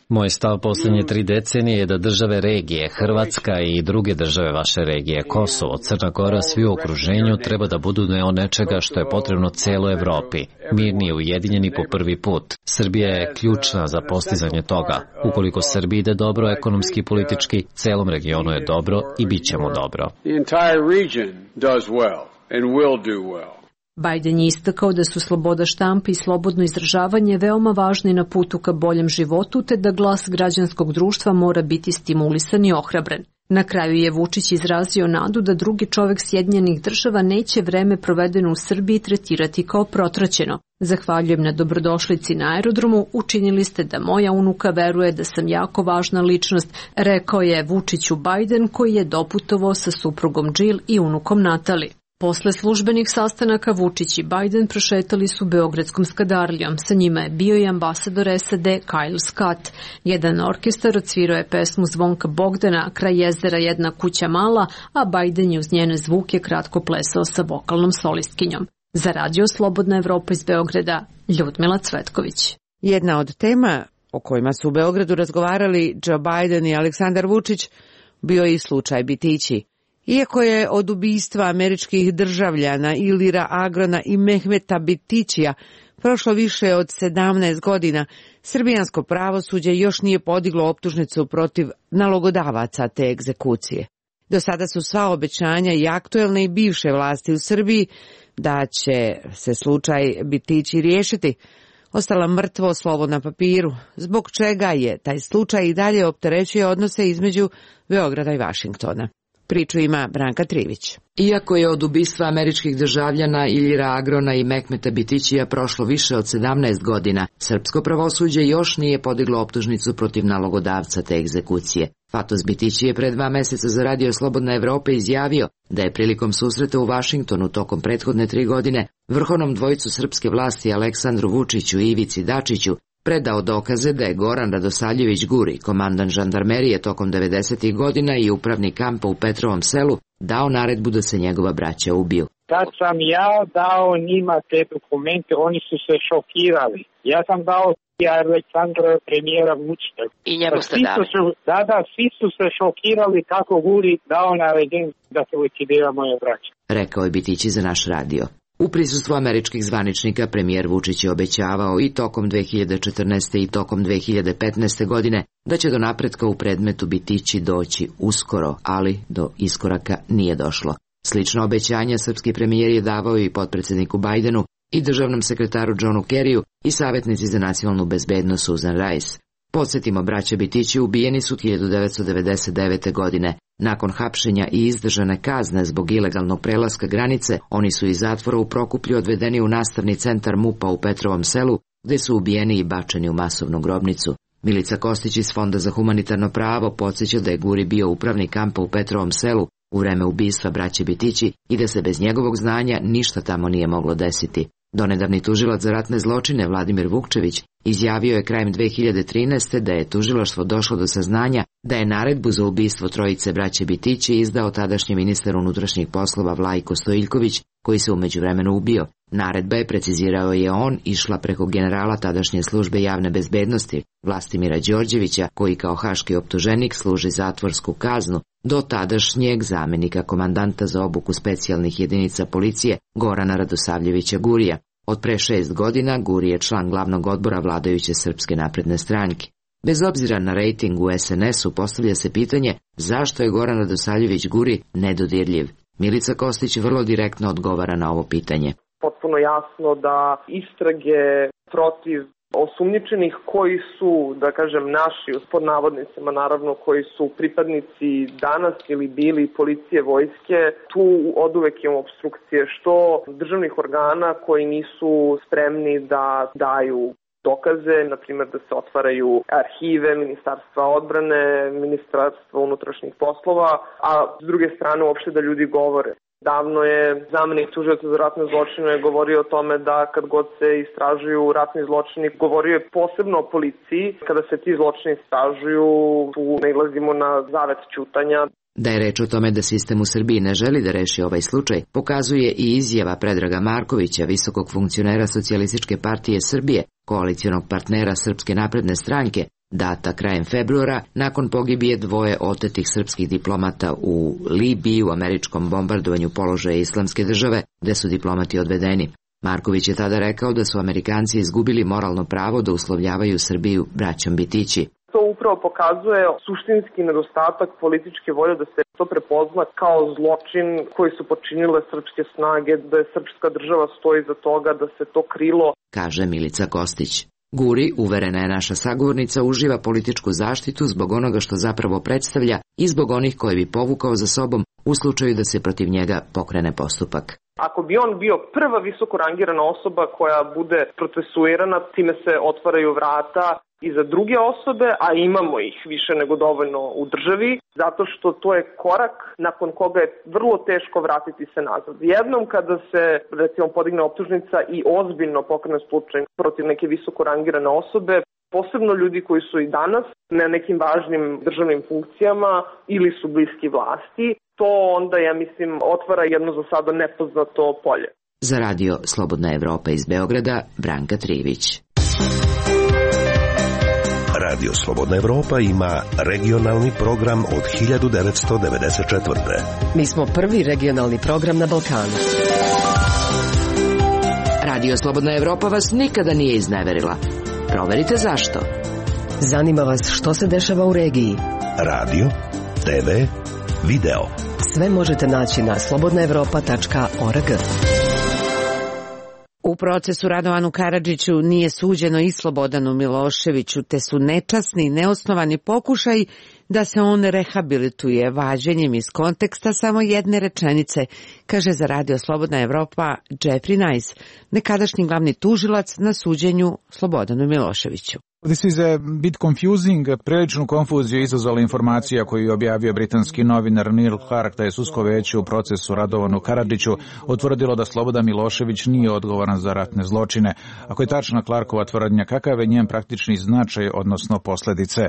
Moj stav posljednje 3 decenije je da države regije, Hrvatska i druge države vaše regije, Kosovo, Crna Gora, svi u okruženju treba da budu deo nečega što je potrebno celoj Evropi, mirni i ujedinjeni po prvi put. Srbija je ključna za postizanje toga. Ukoliko Srbiji ide dobro ekonomski i politički, celom regionu je dobro i bit će mu dobro. Biden je istakao da su sloboda štampe i slobodno izražavanje veoma važni na putu ka boljem životu, te da glas građanskog društva mora biti stimulisan i ohrabren. Na kraju je Vučić izrazio nadu da drugi čovek Sjedinjenih Država neće vreme provedeno u Srbiji tretirati kao protraćeno. Zahvaljujem na dobrodošlici na aerodromu, učinili ste da moja unuka veruje da sam jako važna ličnost, rekao je Vučiću Biden, koji je doputovao sa suprugom Jill i unukom Natali. Posle službenih sastanaka Vučić i Biden prošetali su Beogradskom skadarlijom. Sa njima je bio i ambasador SAD Kyle Scott. Jedan orkestar odsvirao je pesmu Zvonka Bogdana, Kraj jezera jedna kuća mala, a Biden je uz njene zvuke kratko plesao sa vokalnom solistkinjom. Za Radio Slobodna Evropa iz Beograda, Ljudmila Cvetković. Jedna od tema o kojima su u Beogradu razgovarali Joe Biden i Aleksandar Vučić bio je i slučaj Bitići. Iako je od ubistva američkih državljana Ilira Agrona i Mehmeta Bitićija prošlo više od 17 godina, srbijansko pravosuđe još nije podiglo optužnicu protiv nalogodavaca te egzekucije. Do sada su sva obećanja i aktuelne i bivše vlasti u Srbiji da će se slučaj Bitići riješiti ostala mrtvo slovo na papiru, zbog čega je taj slučaj i dalje opterećuje odnose između Beograda i Vašingtona. Priču ima Branka Trivić. Iako je od ubistva američkih državljana Ilira Agrona i Mehmeta Bitićija prošlo više od 17 godina, srpsko pravosuđe još nije podiglo optužnicu protiv nalogodavca te egzekucije. Fatos Bitići je pre 2 meseca za Radio Slobodna Evropa izjavio da je prilikom susreta u Vašingtonu tokom prethodne 3 godine vrhovnom dvojicu srpske vlasti Aleksandru Vučiću i Ivici Dačiću predao dokaze da je Goran Radosavljević Guri, komandant žandarmerije tokom 90. godina i upravnik kampa u Petrovom Selu, dao naredbu da se njegova braća ubiju. Kad sam ja dao njima te dokumente, oni su se šokirali. Ja sam dao Aleksandra premijera Vučića. I njemu ste dali? Svi su se šokirali kako Guri dao naredbu da se likvidira moje braće. Rekao je Bitići za naš radio. U prisustvu američkih zvaničnika premijer Vučić je obećavao i tokom 2014. i tokom 2015. godine da će do napretka u predmetu Bitići doći uskoro, ali do iskoraka nije došlo. Slično obećanja srpski premijer je davao i potpredsjedniku Bidenu i državnom sekretaru Johnu Kerryu i savjetnici za nacionalnu bezbednost Susan Rice. Podsjetimo, braća Bitići ubijeni su 1999. godine. Nakon hapšenja i izdržane kazne zbog ilegalnog prelaska granice, oni su iz zatvora u Prokuplju odvedeni u nastavni centar MUP-a u Petrovom Selu, gde su ubijeni i bačeni u masovnu grobnicu. Milica Kostić iz Fonda za humanitarno pravo podsjeća da je Guri bio upravnik kampa u Petrovom Selu u vreme ubistva braće Bitići i da se bez njegovog znanja ništa tamo nije moglo desiti. Donedavni tužilac za ratne zločine Vladimir Vukčević izjavio je krajem 2013. da je tužilaštvo došlo do saznanja da je naredbu za ubistvo trojice braće Bitići izdao tadašnji ministar unutrašnjih poslova Vlajko Stojiljković, koji se u međuvremenu ubio. Naredba je, precizirao je on, išla preko generala tadašnje službe javne bezbednosti Vlastimira Đorđevića, koji kao haški optuženik služi zatvorsku kaznu, do tadašnjeg zamenika komandanta za obuku specijalnih jedinica policije Gorana Radosavljevića Gurija. Od pre 6 godina Guri je član glavnog odbora vladajuće Srpske napredne stranke. Bez obzira na rejting u SNS-u postavlja se pitanje zašto je Goran Radosavljević Guri nedodirljiv. Milica Kostić vrlo direktno odgovara na ovo pitanje. Potpuno jasno da istrage protiv osumnjičenih koji su, da kažem, naši, pod navodnicima naravno, koji su pripadnici danas ili bili policije, vojske, tu oduvek imamo obstrukcije, što državnih organa koji nisu spremni da daju dokaze, na primjer da se otvaraju arhive Ministarstva odbrane, Ministarstva unutrašnjih poslova, a s druge strane uopšte da ljudi govore. Davno je zamenik tužioca za ratne zločine govorio o tome da kad god se istražuju ratni zločini, govorio je posebno o policiji. Kada se ti zločini istražuju, tu nailazimo na zavet ćutanja. Da je reč o tome da sistem u Srbiji ne želi da reši ovaj slučaj, pokazuje i izjava Predraga Markovića, visokog funkcionera Socijalističke partije Srbije, koalicionog partnera Srpske napredne stranke, data krajem februara, nakon pogibije 2 otetih srpskih diplomata u Libiji u američkom bombardovanju položaja Islamske države, gde su diplomati odvedeni. Marković je tada rekao da su Amerikanci izgubili moralno pravo da uslovljavaju Srbiju braćom Bitići. To upravo pokazuje suštinski nedostatak političke volje da se to prepozna kao zločin koji su počinile srpske snage, da je srpska država stoji za toga, da se to krilo, kaže Milica Kostić. Guri, uverena je naša sagovornica, uživa političku zaštitu zbog onoga što zapravo predstavlja i zbog onih koje bi povukao za sobom u slučaju da se protiv njega pokrene postupak. Ako bi on bio prva visoko rangirana osoba koja bude procesuirana, time se otvaraju vrata i za druge osobe, a imamo ih više nego dovoljno u državi, zato što to je korak nakon koga je vrlo teško vratiti se nazad. Jednom kada se, recimo, podigne optužnica i ozbiljno pokrene slučaj protiv neke visoko rangirane osobe, posebno ljudi koji su i danas na nekim važnim državnim funkcijama ili su bliski vlasti, to onda, ja mislim, otvara jedno za sada nepoznato polje. Za radio Slobodna Evropa iz Beograda, Branka Trivić. Radio Slobodna Evropa ima regionalni program od 1994. Mi smo prvi regionalni program na Balkanu. Radio Slobodna Evropa vas nikada nije izneverila. Proverite zašto. Zanima vas što se dešava u regiji. Radio, TV, video. Sve možete naći na slobodnaevropa.org. U procesu Radovanu Karadžiću nije suđeno i Slobodanu Miloševiću, te su nečasni i neosnovani pokušaj da se on rehabilituje vađenjem iz konteksta samo jedne rečenice, kaže za Radio Slobodna Evropa Jeffrey Nice, nekadašnji glavni tužilac na suđenju Slobodanu Miloševiću. This is a bit confusing. Priličnu konfuziju izazvala informacija koju je objavio britanski novinar Neil Clark da je sudsko veće u procesu Radovanu Karadžiću utvrdilo da Slobodan Milošević nije odgovoran za ratne zločine. Ako je tačna Clarkova tvrdnja, kakav je njen praktični značaj, odnosno posljedice?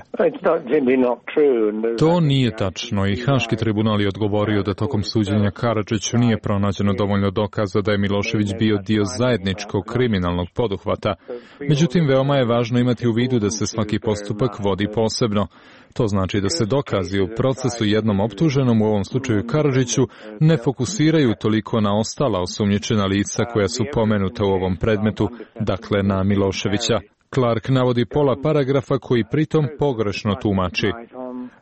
To nije tačno i Haški tribunal je odgovorio da tokom suđenja Karadžiću nije pronađeno dovoljno dokaza da je Milošević bio dio zajedničkog kriminalnog poduhvata. Međutim, veoma je važno imati u vidu da se svaki postupak vodi posebno. To znači da se dokazi u procesu jednom optuženom, u ovom slučaju Karadžiću, ne fokusiraju toliko na ostala osumnjičena lica koja su pomenuta u ovom predmetu, dakle na Miloševića. Clark navodi pola paragrafa koji pritom pogrešno tumači.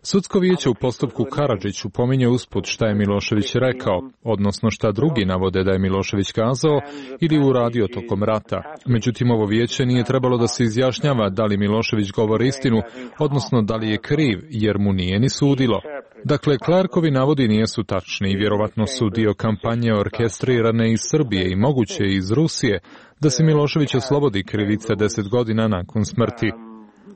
Sudsko vijeće u postupku Karadžiću pominje usput šta je Milošević rekao, odnosno šta drugi navode da je Milošević kazao ili uradio tokom rata. Međutim, ovo vijeće nije trebalo da se izjašnjava da li Milošević govori istinu, odnosno da li je kriv, jer mu nije ni sudilo. Dakle, Clarkovi navodi nisu tačni i vjerovatno su dio kampanje orkestrirane iz Srbije i moguće iz Rusije, da se Milošević oslobodi krivice 10 godina nakon smrti.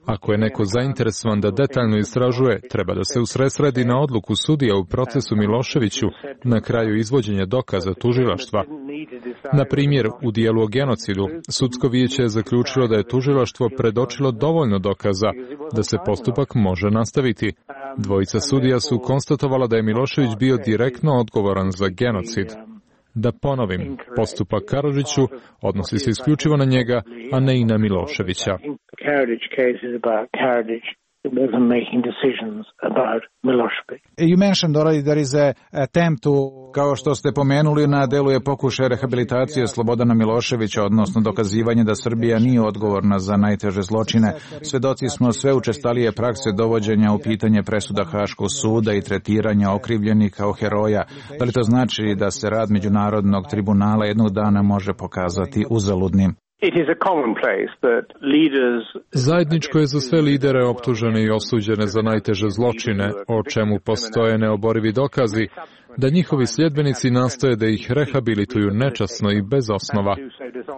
Ako je neko zainteresovan da detaljno istražuje, treba da se usredsredi na odluku sudija u procesu Miloševiću na kraju izvođenja dokaza tužilaštva. Na primjer, u dijelu o genocidu, sudsko vijeće je zaključilo da je tužilaštvo predočilo dovoljno dokaza da se postupak može nastaviti. Dvojica sudija su konstatovala da je Milošević bio direktno odgovoran za genocid. Da ponovim, postupak Karadžiću odnosi se isključivo na njega, a ne i na Miloševića. You mentioned already there is a attempt to, kao što ste pomenuli, na delu je pokušaj rehabilitacije Slobodana Miloševića, odnosno dokazivanje da Srbija nije odgovorna za najteže zločine. Svedoci smo sve učestalije prakse dovođenja u pitanje presuda Haškog suda i tretiranja okrivljenih kao heroja. Da li to znači da se rad Međunarodnog tribunala jednog dana može pokazati uzaludnim? Zajedničko je za sve lidere optužene i osuđene za najteže zločine, o čemu postoje neoborivi dokazi, da njihovi sljedbenici nastoje da ih rehabilituju nečasno i bez osnova.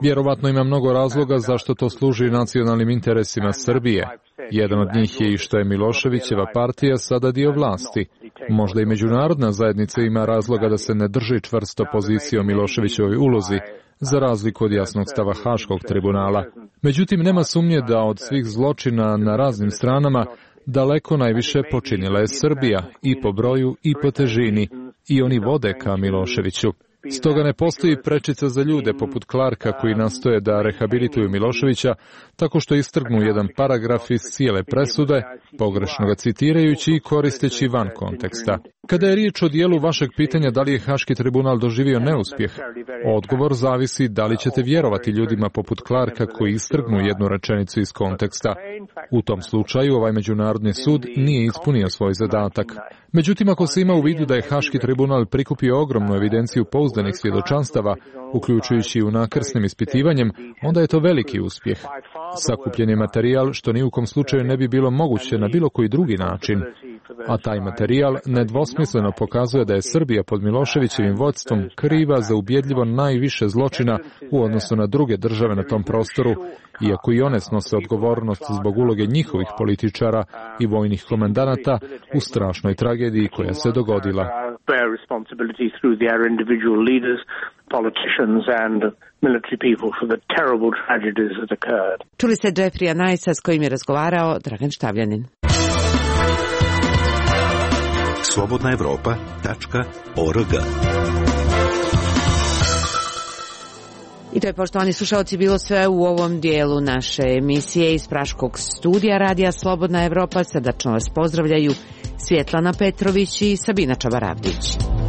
Vjerovatno ima mnogo razloga zašto to služi nacionalnim interesima Srbije. Jedan od njih je i što je Miloševićeva partija sada dio vlasti. Možda i međunarodna zajednica ima razloga da se ne drži čvrsto pozicije o Miloševićevoj ulozi, za razliku od jasnog stava Haškog tribunala. Međutim, nema sumnje da od svih zločina na raznim stranama daleko najviše počinila je Srbija, i po broju i po težini, i oni vode ka Miloševiću. Stoga ne postoji prečica za ljude poput Clarka koji nastoje da rehabilituju Miloševića tako što istrgnu jedan paragraf iz cijele presude, pogrešno ga citirajući i koristeći van konteksta. Kada je riječ o dijelu vašeg pitanja da li je Haški tribunal doživio neuspjeh, odgovor zavisi da li ćete vjerovati ljudima poput Clarka koji istrgnu jednu rečenicu iz konteksta. U tom slučaju ovaj međunarodni sud nije ispunio svoj zadatak. Međutim, ako se ima u vidu da je Haški tribunal prikupio ogromnu evidenciju pouzdanih svjedočanstava, uključujući i unakrsnim ispitivanjem, onda je to veliki uspjeh. Sakupljen je materijal što ni u kom slučaju ne bi bilo moguće na bilo koji drugi način. A taj materijal nedvosmisleno pokazuje da je Srbija pod Miloševićevim vodstvom kriva za ubjedljivo najviše zločina u odnosu na druge države na tom prostoru, iako i one snose odgovornost zbog uloge njihovih političara i vojnih komandanata u strašnoj tragediji koja se dogodila. Čuli ste Jeffreya Nicea s kojim je razgovarao Dragan Štavljanin. slobodnaevropa.org. I to je, poštovani slušalci, bilo sve u ovom dijelu naše emisije iz Praškog studija Radija Slobodna Evropa. Srdačno vas pozdravljaju Svjetlana Petrović i Sabina Čabaravdić.